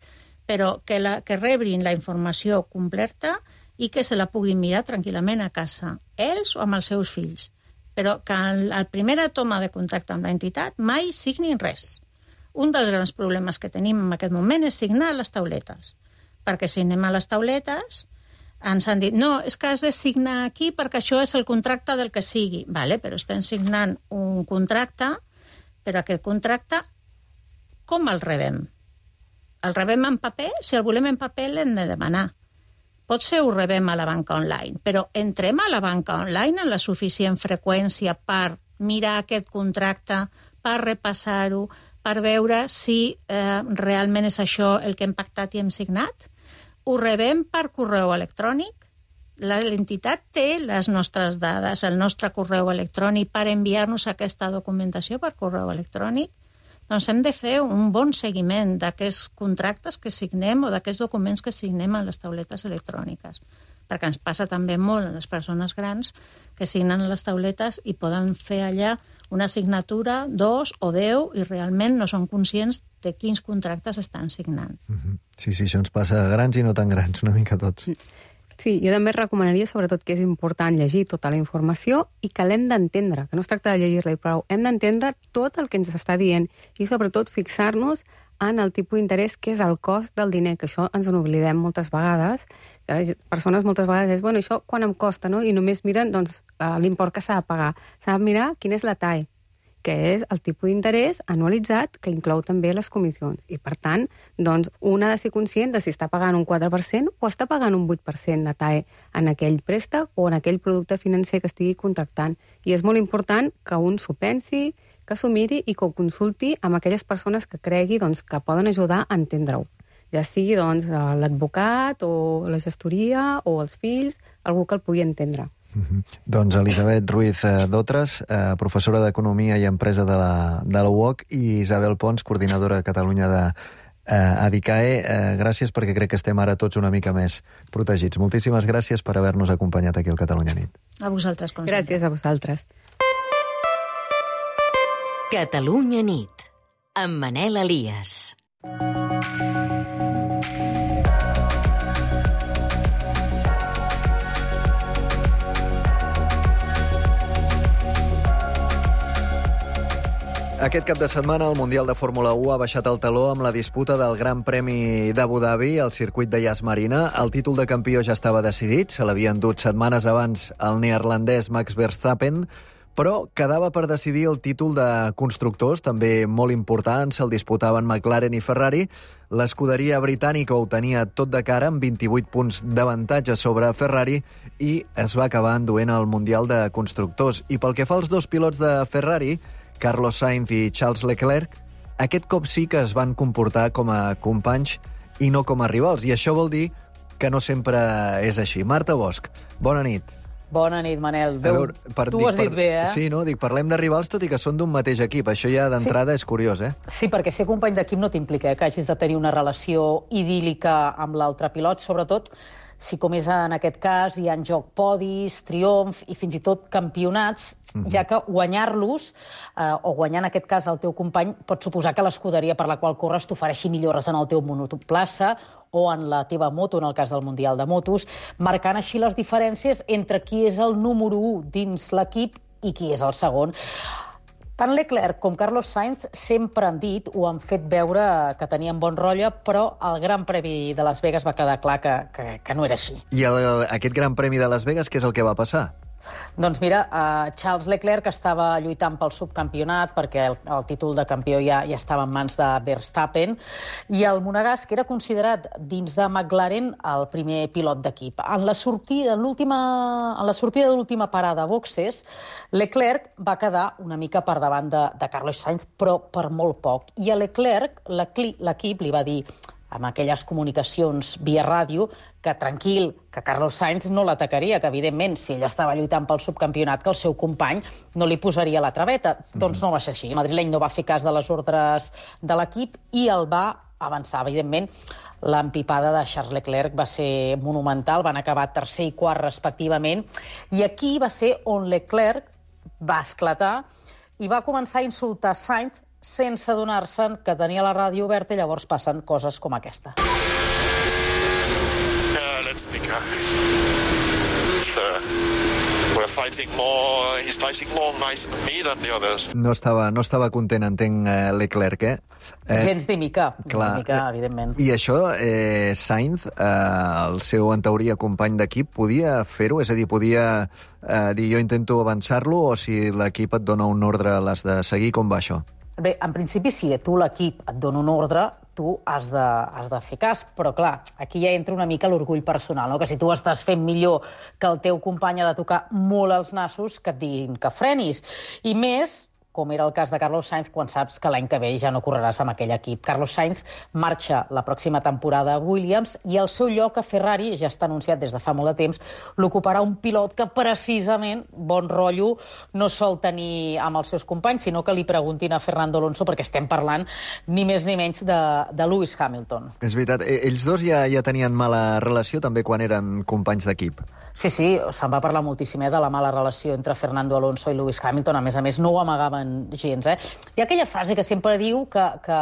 però que, la, que rebrin la informació completa i que se la puguin mirar tranquil·lament a casa, ells o amb els seus fills. Però que en la primera toma de contacte amb l'entitat mai signin res. Un dels grans problemes que tenim en aquest moment és signar les tauletes. Perquè si anem a les tauletes, ens han dit, no, és que has de signar aquí perquè això és el contracte del que sigui. Vale, però estem signant un contracte, però aquest contracte, com el rebem? El rebem en paper? Si el volem en paper, l'hem de demanar. Potser ho rebem a la banca online, però entrem a la banca online en la suficient freqüència per mirar aquest contracte, per repassar-ho, per veure si eh, realment és això el que hem pactat i hem signat? Ho rebem per correu electrònic? L'entitat té les nostres dades, el nostre correu electrònic per enviar-nos aquesta documentació per correu electrònic? Doncs hem de fer un bon seguiment d'aquests contractes que signem o d'aquests documents que signem en les tauletes electròniques. Perquè ens passa també molt a les persones grans que signen les tauletes i poden fer allà una signatura, dos o deu, i realment no són conscients de quins contractes estan signant. Mm-hmm. Sí, sí, això ens passa a grans i no tan grans, una mica tots. Sí, jo també recomanaria sobretot que és important llegir tota la informació i que l'hem d'entendre, que no es tracta de llegir-la i prou, hem d'entendre tot el que ens està dient i sobretot fixar-nos en el tipus d'interès que és el cost del diner, que això ens n'oblidem moltes vegades, que les persones moltes vegades és, bueno, això quan em costa, no? I només miren doncs, l'import que s'ha de pagar. S'ha de mirar quin és la T A E, que és el tipus d'interès anualitzat que inclou també les comissions. I, per tant, doncs, un ha de ser conscient de si està pagant un quatre per cent o està pagant un vuit per cent de T A E en aquell préstec o en aquell producte financer que estigui contractant. I és molt important que un s'ho pensi, que s'ho miri i que ho consulti amb aquelles persones que cregui doncs, que poden ajudar a entendre-ho. Ja sigui doncs, l'advocat o la gestoria o els fills, algú que el pugui entendre. Mm-hmm. Doncs Elisabet Ruiz Dotres, eh, professora d'Economia i Empresa de la, de la U O C, i Isabel Pons, coordinadora a Catalunya de eh, Adicae. Eh, gràcies, perquè crec que estem ara tots una mica més protegits. Moltíssimes gràcies per haver-nos acompanyat aquí al Catalunya Nit. A vosaltres, com sempre. Gràcies a vosaltres. Catalunya Nit, amb Manel Elias. Aquest cap de setmana el Mundial de Fórmula u ha baixat el taló amb la disputa del Gran Premi d'Abu Dhabi al circuit de Yas Marina. El títol de campió ja estava decidit, se l'havia endut setmanes abans el neerlandès Max Verstappen, però quedava per decidir el títol de constructors, també molt important, se'l disputaven McLaren i Ferrari. L'escuderia britànica ho tenia tot de cara, amb vint-i-vuit punts d'avantatge sobre Ferrari, i es va acabar enduent el Mundial de Constructors. I pel que fa als dos pilots de Ferrari, Carlos Sainz i Charles Leclerc, aquest cop sí que es van comportar com a companys i no com a rivals, i això vol dir que no sempre és així. Marta Bosch, bona nit. Bona nit, Manel. Veu, veure, per, tu ho has dit per, bé, eh? Sí, no? Dic, parlem de rivals tot i que són d'un mateix equip. Això ja d'entrada sí. és curiós, eh? Sí, perquè ser company d'equip no t'implica eh, que hagis de tenir una relació idíl·lica amb l'altre pilot, sobretot si, com és en aquest cas, hi ha en joc podis, triomf i fins i tot campionats, mm-hmm. ja que guanyar-los, eh, o guanyar en aquest cas el teu company, pot suposar que l'escuderia per la qual corres t'ofereixi millores en el teu monoplaça o en la teva moto, en el cas del Mundial de Motos, marcant així les diferències entre qui és el número u dins l'equip i qui és el segon. Tant Leclerc com Carlos Sainz sempre han dit o han fet veure que tenien bon rotllo, però el Gran Premi de Las Vegas va quedar clar que, que, que no era així. I el, aquest Gran Premi de Las Vegas, què és el que va passar? Doncs mira, uh, Charles Leclerc estava lluitant pel subcampionat perquè el, el títol de campió ja, ja estava en mans de Verstappen, i el monegasc era considerat dins de McLaren el primer pilot d'equip. En la sortida, en l'última, en la sortida de l'última parada a boxes, Leclerc va quedar una mica per davant de, de Carlos Sainz, però per molt poc. I a Leclerc l'equip li va dir, amb aquelles comunicacions via ràdio, que tranquil, que Carlos Sainz no l'atacaria, que evidentment, si ell estava lluitant pel subcampionat, que el seu company no li posaria la traveta. Mm. Doncs no va ser així. El madrileny no va fer cas de les ordres de l'equip i el va avançar. Evidentment, l'empipada de Charles Leclerc va ser monumental, van acabar tercer i quart respectivament, i aquí va ser on Leclerc va esclatar i va començar a insultar Sainz sense adonar-se'n que tenia la ràdio oberta, i llavors passen coses com aquesta. Uh, let's think. Uh, we're fighting more. He's fighting more nicer than me than the others. No estava, no estava content, entenc, eh, Leclerc, eh? eh Gens de mica, clar, de mica, evidentment. I això, eh, Sainz, eh, el seu, en teoria, company d'equip, podia fer-ho? És a dir, podia eh, dir jo intento avançar-lo, o si l'equip et dona un ordre l'has de seguir? Com va això? Bé, en principi, si tu l'equip et dona un ordre, tu has de, has de fer cas, però clar, aquí ja entra una mica l'orgull personal, no? Que si tu estàs fent millor que el teu company ha de tocar molt els nassos, que et diguin que frenis. I més, com era el cas de Carlos Sainz, quan saps que l'any que ve ja no correràs amb aquell equip. Carlos Sainz marxa la pròxima temporada a Williams i el seu lloc a Ferrari, ja està anunciat des de fa molt de temps, l'ocuparà un pilot que precisament bon rotllo no sol tenir amb els seus companys, sinó que li preguntin a Fernando Alonso, perquè estem parlant ni més ni menys de, de Lewis Hamilton. És veritat, ells dos ja, ja tenien mala relació també quan eren companys d'equip. Sí, sí, se'n va parlar moltíssim eh, de la mala relació entre Fernando Alonso i Lewis Hamilton. A més a més, no ho amagaven gens. Eh? Hi ha aquella frase que sempre diu que, que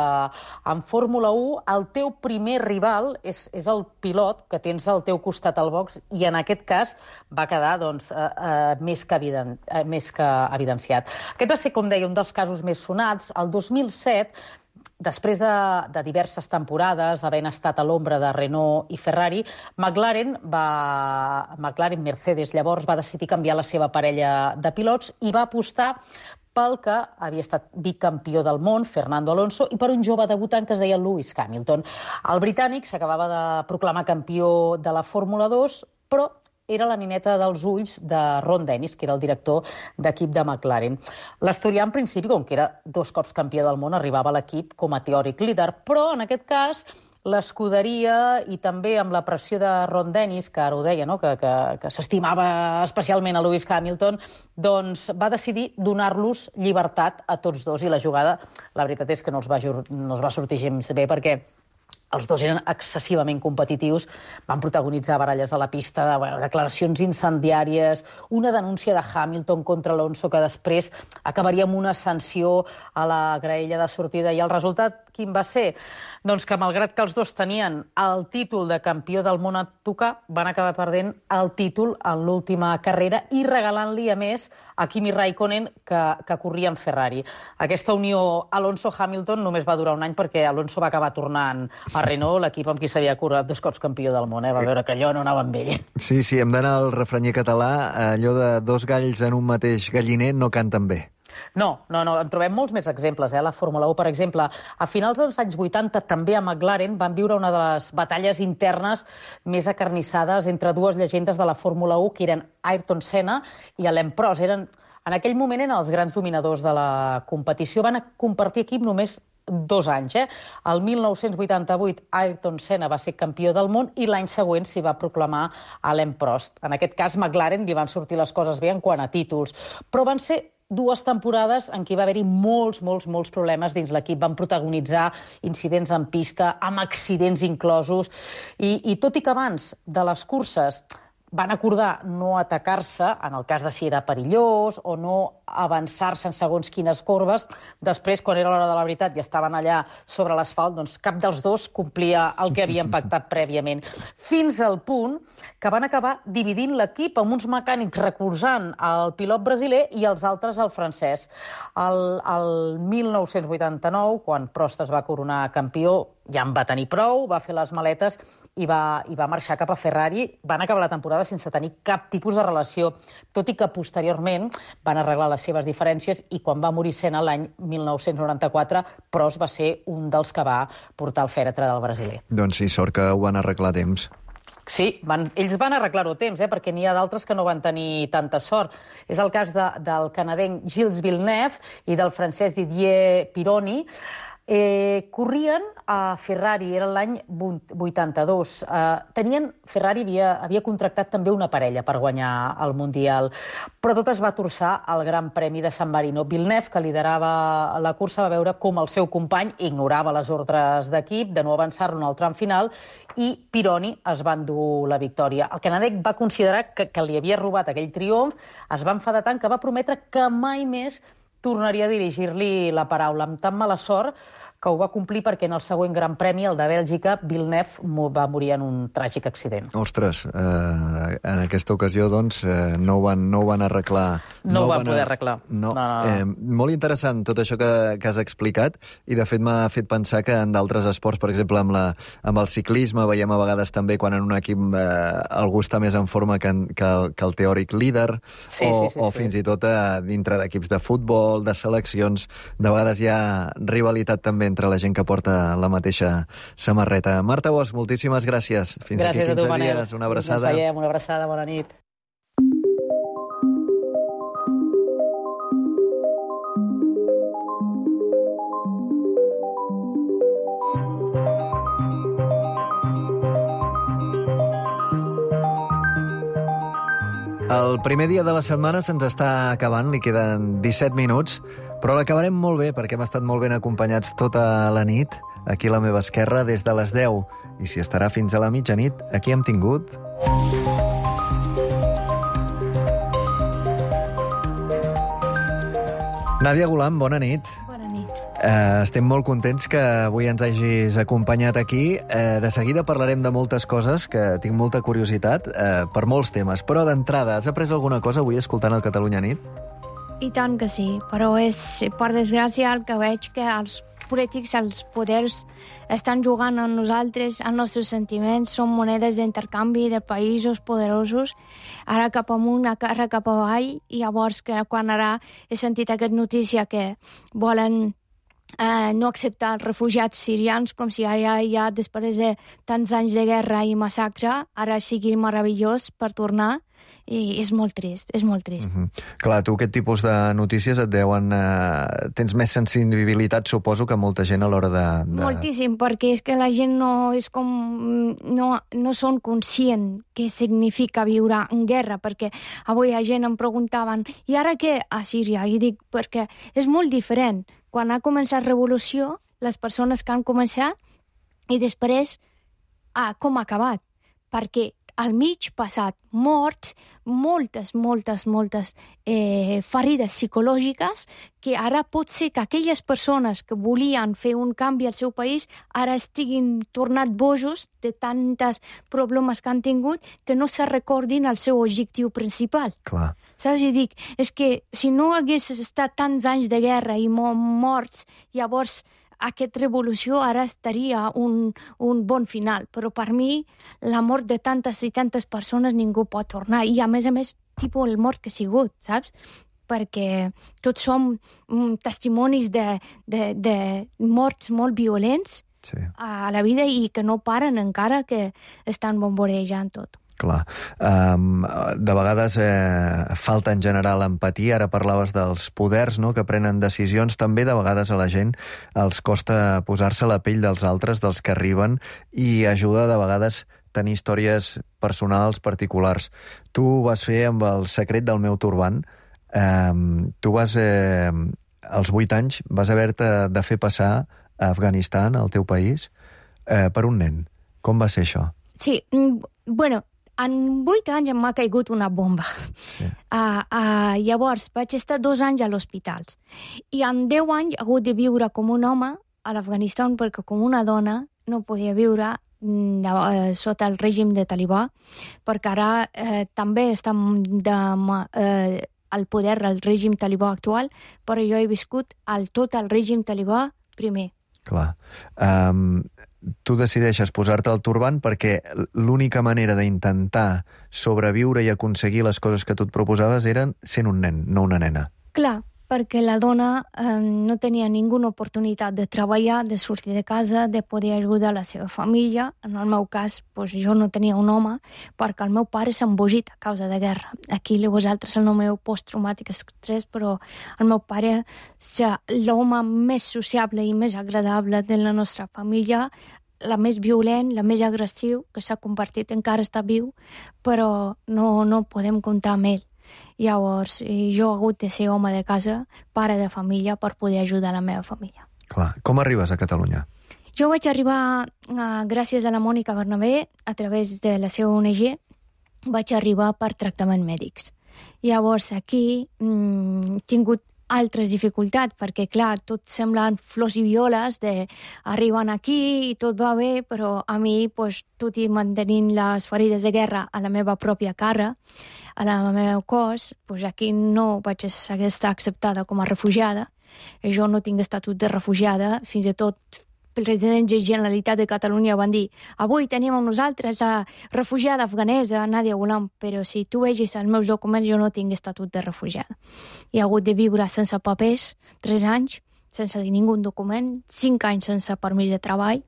en Fórmula u el teu primer rival és, és el pilot que tens al teu costat al box, i en aquest cas va quedar doncs, eh, eh, més, que eviden, eh, més que evidenciat. Aquest va ser, com deia, un dels casos més sonats. El dos mil set, després de, de diverses temporades, havent estat a l'ombra de Renault i Ferrari, McLaren, va, McLaren Mercedes llavors va decidir canviar la seva parella de pilots i va apostar pel que havia estat bicampió del món, Fernando Alonso, i per un jove debutant que es deia Lewis Hamilton. El britànic s'acabava de proclamar campió de la Fórmula dos, però era la nineta dels ulls de Ron Dennis, que era el director d'equip de McLaren. L'asturià, en principi, com que era dos cops campió del món, arribava a l'equip com a teòric líder, però en aquest cas l'escuderia, i també amb la pressió de Ron Dennis, que ara ho deia, no? que, que, que s'estimava especialment a Lewis Hamilton, doncs va decidir donar-los llibertat a tots dos, i la jugada, la veritat és que no els va, no els va sortir gens bé, perquè els dos eren excessivament competitius, van protagonitzar baralles a la pista, de, bueno, declaracions incendiàries, una denúncia de Hamilton contra Alonso que després acabaria amb una sanció a la graella de sortida, i el resultat quin va ser? Doncs que, malgrat que els dos tenien el títol de campió del món a tocar, van acabar perdent el títol en l'última carrera i regalant-li, a més, a Kimi Raikkonen, que, que corria en Ferrari. Aquesta unió Alonso-Hamilton només va durar un any perquè Alonso va acabar tornant a Renault, l'equip amb qui s'havia coroat dos cops campió del món. Eh? Va veure que allò no anava amb ell. Sí, sí, hem d'anar al refrenyer català. Allò de dos galls en un mateix galliner no canten bé. No, no, no, en trobem molts més exemples. Eh? La Fórmula u, per exemple, a finals dels anys vuitanta, també a McLaren van viure una de les batalles internes més acarnissades entre dues llegendes de la Fórmula u, que eren Ayrton Senna i Alain Prost. Eren, en aquell moment eren els grans dominadors de la competició. Van compartir equip només dos anys. Eh? El mil nou-cents vuitanta-vuit, Ayrton Senna va ser campió del món i l'any següent s'hi va proclamar Alain Prost. En aquest cas, McLaren li van sortir les coses bé en quant a títols, però van ser dues temporades en què va haver-hi molts, molts, molts problemes dins l'equip. Van protagonitzar incidents en pista, amb accidents inclosos, i, i tot i que abans de les curses van acordar no atacar-se, en el cas de si era perillós, o no avançar-se en segons quines corbes, després, quan era l'hora de la veritat i estaven allà sobre l'asfalt, doncs cap dels dos complia el que havien pactat prèviament. Fins al punt que van acabar dividint l'equip amb uns mecànics recolzant el pilot brasiler i els altres el francès. El, el mil nou-cents vuitanta-nou, quan Prost es va coronar campió, ja en va tenir prou, va fer les maletes i va, i va marxar cap a Ferrari. Van acabar la temporada sense tenir cap tipus de relació, tot i que posteriorment van arreglar les seves diferències i quan va morir Senna l'any mil nou-cents noranta-quatre, Prost va ser un dels que va portar el fèretre del brasiler. Doncs sí, sort que ho van arreglar a temps. Sí, van, ells van arreglar-ho a temps, eh, perquè n'hi ha d'altres que no van tenir tanta sort. És el cas de, del canadenc Gilles Villeneuve i del francès Didier Pironi. Eh, corrien a Ferrari, era l'any vuitanta-dos. Eh, tenien, Ferrari havia, havia contractat també una parella per guanyar el Mundial, però tot es va torçar al Gran Premi de San Marino. Villeneuve, que liderava la cursa, va veure com el seu company ignorava les ordres d'equip de no avançar-lo en el tram final i Pironi es va endur la victòria. El canadenc va considerar que, que li havia robat aquell triomf, es va enfadar tant que va prometre que mai més tornaria a dirigir-li la paraula. Amb tan mala sort que ho va complir perquè en el següent Gran Premi, el de Bèlgica, Villeneuve va morir en un tràgic accident. Ostres, eh, en aquesta ocasió, doncs, eh, no, ho van, no ho van arreglar. No, no ho van poder arreglar. No. No, no, no. Eh, molt interessant tot això que, que has explicat i, de fet, m'ha fet pensar que en d'altres esports, per exemple, amb, la, amb el ciclisme, veiem a vegades també quan en un equip eh, algú està més en forma que, que, el, que el teòric líder, sí, o, sí, sí, o sí. fins i tot eh, dintre d'equips de futbol, de seleccions, de vegades hi ha rivalitat també entre la gent que porta la mateixa samarreta. Marta Bosch, moltíssimes gràcies. Fins gràcies aquí quinze a tu, Manel. dies. Una abraçada. Ens veiem, una abraçada, bona nit. El primer dia de la setmana se'ns està acabant, li queden disset minuts, però l'acabarem molt bé perquè hem estat molt ben acompanyats tota la nit, aquí a la meva esquerra, des de les deu. I si estarà fins a la mitjanit, aquí hem tingut... Nàdia Golam, bona nit. Bona nit. Uh, estem molt contents que avui ens hagis acompanyat aquí. Uh, de seguida parlarem de moltes coses, que tinc molta curiositat, uh, per molts temes. Però d'entrada, has après alguna cosa avui escoltant el Catalunya Nit? I tant que sí, però és, per desgràcia, el que veig que els polítics, els poders, estan jugant amb nosaltres, els nostres sentiments, són monedes d'intercanvi de països poderosos, ara cap amunt, ara cap avall, i llavors que quan ara he sentit aquesta notícia que volen eh, no acceptar els refugiats sirians, com si ara ja després de tants anys de guerra i massacre, ara sigui meravellós per tornar, i és molt trist, és molt trist. Uh-huh. Clar, tu aquest tipus de notícies et deuen... Eh, tens més sensibilitat, suposo, que molta gent a l'hora de, de... Moltíssim, perquè és que la gent no és com... No, no són conscient què significa viure en guerra, perquè avui la gent em preguntaven i ara què a Síria? I dic, perquè és molt diferent. Quan ha començat la revolució, les persones que han començat i després ah, com ha acabat. Perquè al mig passat morts, moltes, moltes, moltes eh, ferides psicològiques, que ara pot ser que aquelles persones que volien fer un canvi al seu país ara estiguin tornat bojos de tantes problemes que han tingut que no se recordin el seu objectiu principal. Clar. Saps? I dic, és que si no hagués estat tants anys de guerra i morts, llavors aquesta revolució ara estaria un, un bon final. Però per mi, la mort de tantes i tantes persones ningú pot tornar. I a més a més, tipus el mort que ha sigut, saps? Perquè tots som mm, testimonis de, de, de morts molt violents sí. a la vida i que no paren encara, que estan bomborejant tot. Clar. Um, de vegades eh, falta en general empatia. Ara parlaves dels poders, no?, que prenen decisions. També de vegades a la gent els costa posar-se a la pell dels altres, dels que arriben, i ajuda de vegades tenir històries personals, particulars. Tu ho vas fer amb El secret del meu turbant. Um, tu vas, eh, als vuit anys, vas haver-te de fer passar a Afganistan, al teu país, eh, per un nen. Com va ser això? Sí, bueno, en vuit anys em ha caigut una bomba. Sí. Uh, uh, llavors vaig estar dos anys a l'hospital. I en deu anys he hagut de viure com un home a l'Afganistan perquè com una dona no podia viure uh, sota el règim de talibà, perquè ara uh, també està de, uh, al poder el règim talibà actual, però jo he viscut el, tot el règim talibà primer. Clar. Um, tu decideixes posar-te el turbant perquè l'única manera d'intentar sobreviure i aconseguir les coses que tu et proposaves eren sent un nen, no una nena. Clar, perquè la dona eh, no tenia ninguna oportunitat de treballar, de sortir de casa, de poder ajudar la seva família. En el meu cas, doncs, jo no tenia un home perquè el meu pare s'ha embogit a causa de guerra. Aquí vosaltres el meu post-traumàtic estrès, però el meu pare és l'home més sociable i més agradable de la nostra família, la més violent, la més agressiu, que s'ha convertit, encara està viu, però no, no podem comptar amb ell. Llavors, jo he hagut de ser home de casa, pare de família, per poder ajudar la meva família. Clar. Com arribes a Catalunya? Jo vaig arribar, uh, gràcies a la Mònica Bernabé, a través de la seva O N G, vaig arribar per tractaments mèdics. Llavors, aquí mm, he tingut altres dificultats, perquè, clar, tot semblen flors i violes, de arriben aquí i tot va bé, però a mi, pues, tot i mantenint les ferides de guerra a la meva pròpia cara, a la meu cos, pues aquí no vaig estar acceptada com a refugiada. Jo no tinc estatut de refugiada, fins i tot el president de la Generalitat de Catalunya van dir avui tenim amb nosaltres la refugiada afganesa Nadia Ghulam, però si tu vegis els meus documents jo no tinc estatut de refugiada. He hagut de viure sense papers, tres anys, sense ningú document, cinc anys sense permís de treball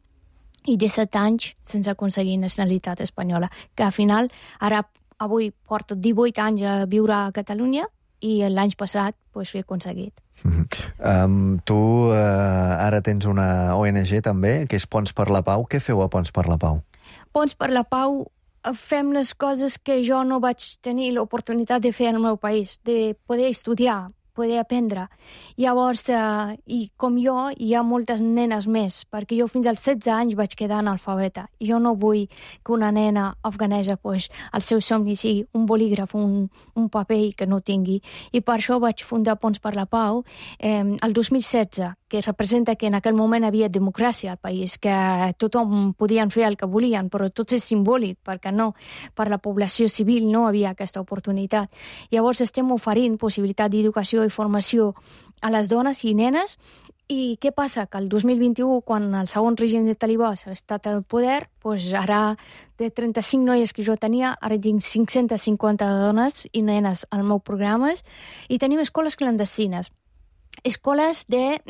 i disset anys sense aconseguir nacionalitat espanyola, que al final ara avui porto divuit anys a viure a Catalunya i l'any passat pues, ho he aconseguit. Mm-hmm. Um, tu uh, ara tens una O N G també, que és Ponts per la Pau. Què feu a Ponts per la Pau? Ponts per la Pau fem les coses que jo no vaig tenir l'oportunitat de fer al meu país, de poder estudiar, poder aprendre. Llavors, eh, i com jo, hi ha moltes nenes més, perquè jo fins als setze anys vaig quedar analfabeta. Jo no vull que una nena afganesa, pues, el seu somni sigui un bolígraf, un, un paper que no tingui. I per això vaig fundar Ponts per la Pau eh, el dos mil setze, que representa que en aquell moment havia democràcia al país, que tothom podien fer el que volien, però tot és simbòlic, perquè no, per la població civil no havia aquesta oportunitat. Llavors estem oferint possibilitat d'educació i formació a les dones i nenes. I què passa? Que el dos mil vint-i-u, quan el segon règim de talibà ha estat al poder, doncs ara de trenta-cinc noies que jo tenia, ara tinc cinc-centes cinquanta dones i nenes al meu programa, i tenim escoles clandestines. Escoles de,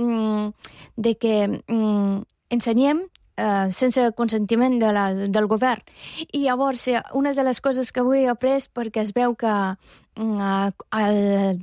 de que mm, ensenyem eh, sense consentiment de la, del govern. I llavors, una de les coses que avui he après, perquè es veu que a, a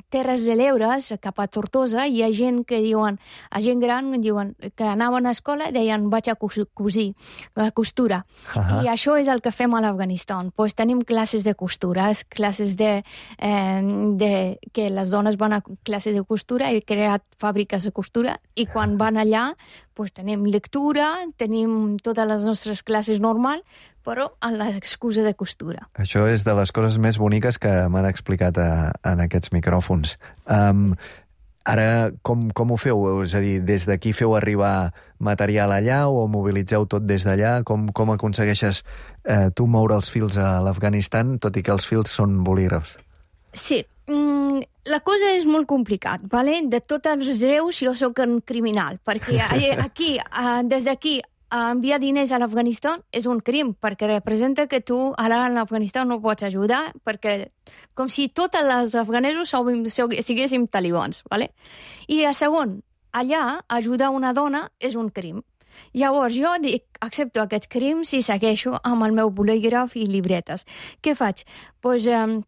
Terres de l'Ebre, cap a Tortosa, hi ha gent que diuen, a gent gran diuen que anaven a escola i deien vaig a cosir, a costura. Uh-huh. I això és el que fem a l'Afganistan. Pues tenim classes de costura, classes de, eh, de que les dones van a classes de costura, he creat fàbriques de costura, i quan van allà pues tenim lectura, tenim totes les nostres classes normals, però amb l'excusa de costura. Això és de les coses més boniques que m'han explicat a, en aquests micròfons. Um, ara, com, com ho feu? És a dir, des d'aquí feu arribar material allà o mobilitzeu tot des d'allà? Com, com aconsegueixes eh, tu moure els fils a l'Afganistan, tot i que els fils són bolígrafs? Sí, mm, la cosa és molt complicat, ¿vale? De tots els greus jo sóc un criminal, perquè aquí, des d'aquí, enviar diners a l'Afganistan és un crim, perquè representa que tu ara a l'Afganistan no pots ajudar, perquè com si tots els afganesos siguéssim talibans, ¿vale? I a segon, allà ajudar una dona és un crim. Llavors jo dic, accepto aquests crims i segueixo amb el meu bolígraf i llibretes. Què faig? Doncs pues, eh,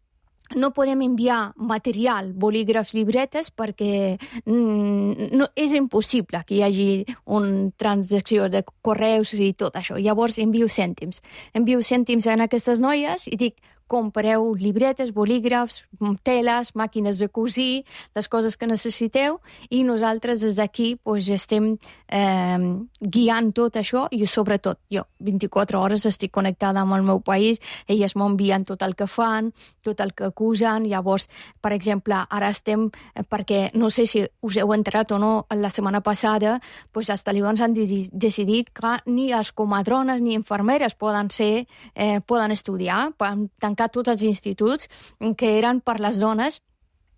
no podem enviar material, bolígrafs, llibretes, perquè mm, no, és impossible que hi hagi una transacció de correus i tot això. Llavors envio cèntims. Envio cèntims a aquestes noies i dic, compreu llibretes, bolígrafs, teles, màquines de cosir, les coses que necessiteu, i nosaltres des d'aquí pues, estem eh, guiant tot això, i sobretot jo, vint-i-quatre hores estic connectada amb el meu país, elles m'envien tot el que fan, tot el que acusen. Llavors, per exemple, ara estem, perquè no sé si us heu entrat o no, la setmana passada pues, els talibans han decidit que ni els comadrones ni infermeres poden ser, eh, poden estudiar, poden tancar tots els instituts que eren per les dones,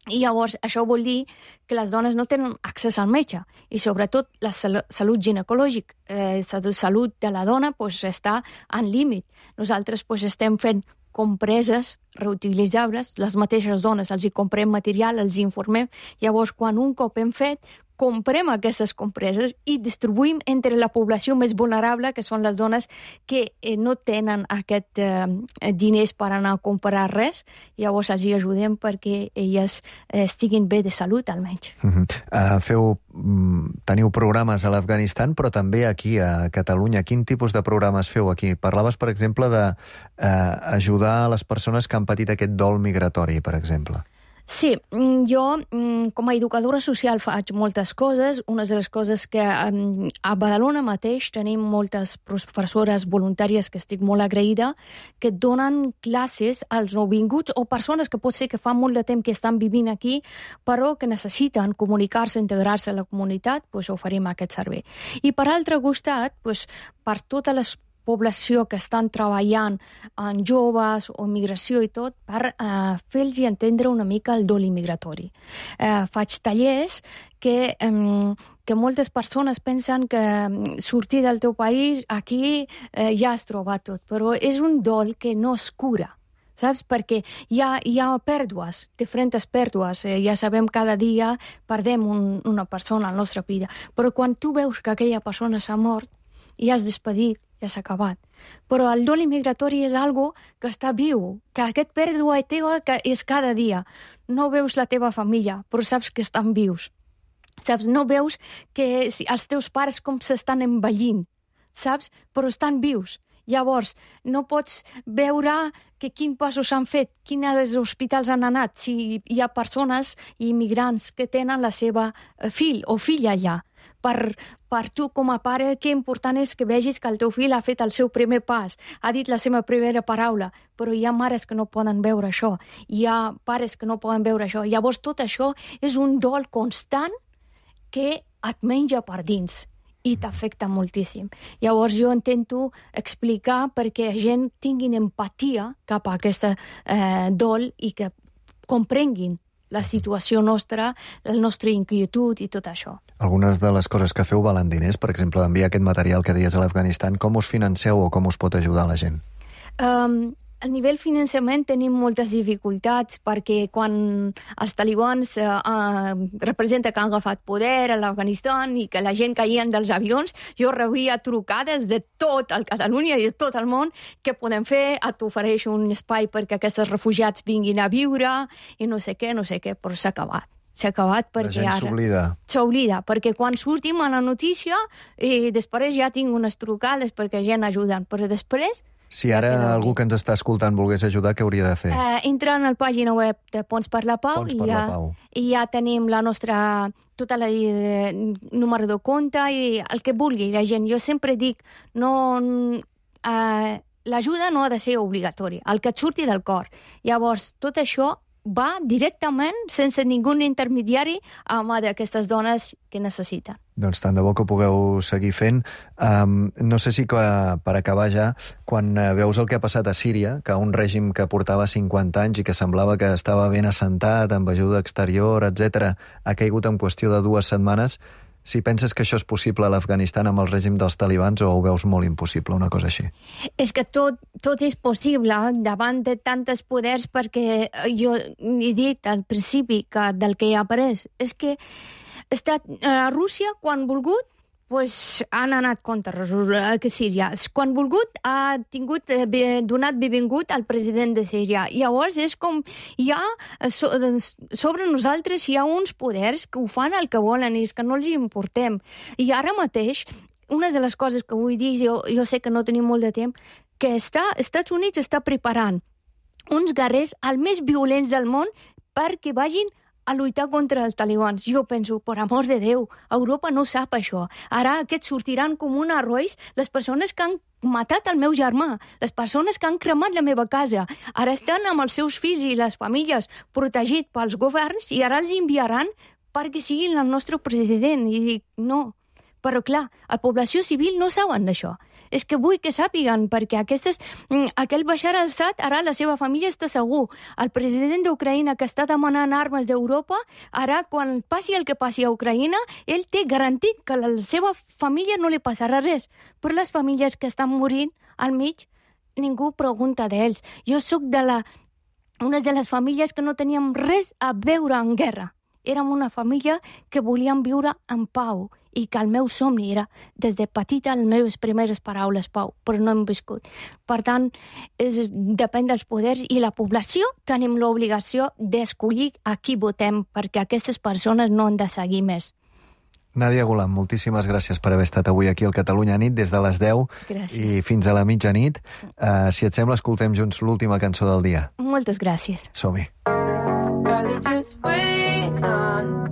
i llavors això vol dir que les dones no tenen accés al metge, i sobretot la sal- salut ginecològica, eh, salut de la dona pues, està en límit. Nosaltres pues, estem fent compreses reutilitzables, les mateixes dones els hi comprem material, els hi informem, llavors quan un cop hem fet, comprem aquestes compreses i distribuïm entre la població més vulnerable, que són les dones que eh, no tenen aquest eh, diners per anar a comprar res, llavors els hi ajudem perquè elles eh, estiguin bé de salut, almenys. Uh-huh. Uh, feu, mm, teniu programes a l'Afganistan, però també aquí a Catalunya. Quin tipus de programes feu aquí? Parlaves, per exemple, d'ajudar eh, a les persones que han patit aquest dol migratori, per exemple. Sí, jo com a educadora social faig moltes coses. Una de les coses que a Badalona mateix tenim moltes professores voluntàries que estic molt agraïda, que donen classes als nouvinguts o persones que pot ser que fa molt de temps que estan vivint aquí, però que necessiten comunicar-se, integrar-se a la comunitat, doncs oferim aquest servei. I per altre costat, doncs, per totes les població que estan treballant en joves o migració i tot, per eh, fer-los entendre una mica el dol migratori. Eh, faig tallers que, eh, que moltes persones pensen que sortir del teu país, aquí eh, ja has trobat tot, però és un dol que no es cura. Saps? Perquè hi ha, hi ha pèrdues, diferents pèrdues. Eh, ja sabem, cada dia perdem un, una persona a la nostra vida. Però quan tu veus que aquella persona s'ha mort i has despedit, ja s'ha acabat. Però el dol migratori és algo que està viu, que aquest pèrdua teva que és cada dia. No veus la teva família, però saps que estan vius. Saps? No veus que els teus pares com s'estan envellint, saps? Però estan vius. Llavors, no pots veure que quins passos s'han fet, quins hospitals han anat, si hi ha persones immigrants que tenen la seva fill o filla allà. Per, per tu, com a pare, que important és que vegis que el teu fill ha fet el seu primer pas, ha dit la seva primera paraula, però hi ha mares que no poden veure això, hi ha pares que no poden veure això. Llavors, tot això és un dol constant que et menja per dins i t'afecta moltíssim. Llavors jo intento explicar perquè la gent tingui empatia cap a aquesta eh, dol i que comprenguin la situació nostra, la nostra inquietud i tot això. Algunes de les coses que feu valen diners, per exemple, enviar aquest material que deies a l'Afganistan, com us financeu o com us pot ajudar la gent? Um, a nivell finançament tenim moltes dificultats perquè quan els talibans uh, uh, representa que han agafat poder a l'Afganistan i que la gent caien dels avions, jo rebia trucades de tot el Catalunya i de tot el món. Què podem fer? Et ofereix un espai perquè aquests refugiats vinguin a viure i no sé què, no sé què, però s'ha acabat. S'ha acabat perquè ara... La gent s'oblida. S'oblida, perquè quan sortim a la notícia i després ja tinc unes trucades perquè gent ajuden, però després... Si ara algú que ens està escoltant volgués ajudar, què hauria de fer? Uh, entra en la pàgina web de Ponts per la Pau, Ponts i, per ja, la Pau. i ja tenim la nostra tota la eh, número de compte i el que vulgui la gent. Jo sempre dic, no... Uh, l'ajuda no ha de ser obligatòria, el que et surti del cor. Llavors, tot això va directament, sense ningú intermediari, a mà d'aquestes dones que necessiten. Doncs tant de bo que ho pugueu seguir fent. Um, no sé si que, per acabar ja, quan veus el que ha passat a Síria, que un règim que portava cinquanta anys i que semblava que estava ben assentat, amb ajuda exterior, etcètera, ha caigut en qüestió de dues setmanes, si penses que això és possible a l'Afganistan amb el règim dels talibans o ho veus molt impossible, una cosa així? És que tot, tot és possible davant de tantes poders, perquè jo he dit al principi que del que he après és que ha estat a Rússia, quan volgut, pues, han anat contra Síria. Quan volgut, ha tingut, donat benvingut al president de Síria. Llavors, és com hi ha, sobre nosaltres hi ha uns poders que ho fan el que volen i és que no els importem. I ara mateix, una de les coses que vull dir, jo, jo sé que no tenim molt de temps, que està, Estats Units està preparant uns guerrers els més violents del món perquè vagin a lluitar contra els talibans. Jo penso, per amor de Déu, Europa no sap això. Ara aquests sortiran com un arroix les persones que han matat el meu germà, les persones que han cremat la meva casa. Ara estan amb els seus fills i les famílies protegits pels governs i ara els enviaran perquè siguin el nostre president. I dic, no. Però clar, la població civil no saben d'això. És que vull que sàpiguen, perquè aquestes, aquell Bashar al-Assad, ara la seva família està segur. El president d'Ucraïna, que està demanant armes d'Europa, ara, quan passi el que passi a Ucraïna, ell té garantit que a la seva família no li passarà res. Però les famílies que estan morint al mig, ningú pregunta d'ells. Jo sóc de la, una de les famílies que no teníem res a veure en guerra. Érem una família que volíem viure en pau i que el meu somni era, des de petita, les meves primeres paraules, pau, però no hem viscut. Per tant, és, depèn dels poders i la població tenim l'obligació d'escollir a qui votem, perquè aquestes persones no han de seguir més. Nàdia Golam, moltíssimes gràcies per haver estat avui aquí al Catalunya Nit des de les deu gràcies. I fins a la mitjanit. Uh, si et sembla, escoltem junts l'última cançó del dia. Moltes gràcies. Som-hi. Just wait on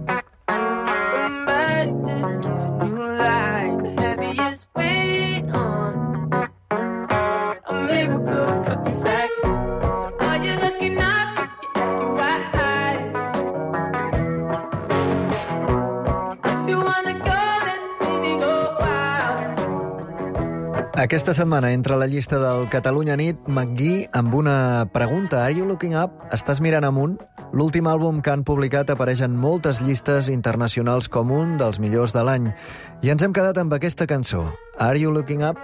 somebody to give a new light. The heaviest weight on a miracle to cut the sack. So are you looking up? You're asking why? 'Cause if you wanna go, then baby go wild. Aquesta setmana entra a la llista del Catalunya Nit McGee amb una pregunta. Are you looking up? Estàs mirant amunt? L'últim àlbum que han publicat apareix en moltes llistes internacionals com un dels millors de l'any. I ens hem quedat amb aquesta cançó. Are you looking up?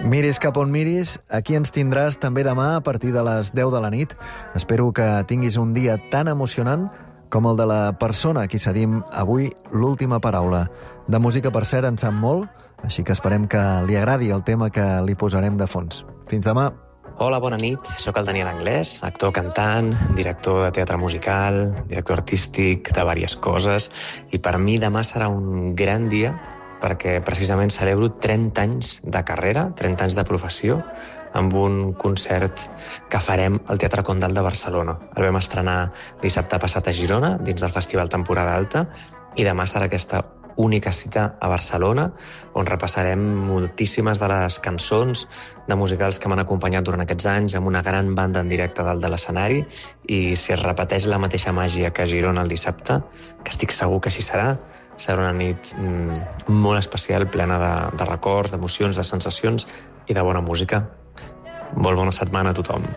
Miris cap on miris, aquí ens tindràs també demà a partir de les deu de la nit. Espero que tinguis un dia tan emocionant com el de la persona a qui cedim avui l'última paraula. De música, per cert, en sap molt, així que esperem que li agradi el tema que li posarem de fons. Fins demà. Hola, bona nit. Soc el Daniel Anglès, actor, cantant, director de teatre musical, director artístic de diverses coses, i per mi demà serà un gran dia perquè precisament celebro trenta anys de carrera, trenta anys de professió, amb un concert que farem al Teatre Condal de Barcelona. El vam estrenar dissabte passat a Girona, dins del Festival Temporada Alta, i demà serà aquesta única cita a Barcelona, on repassarem moltíssimes de les cançons de musicals que m'han acompanyat durant aquests anys, amb una gran banda en directe dalt de l'escenari, i si es repeteix la mateixa màgia que a Girona el dissabte, que estic segur que així serà, serà una nit mm, molt especial, plena de, de records, d'emocions, de sensacions i de bona música. Molt bona setmana a tothom.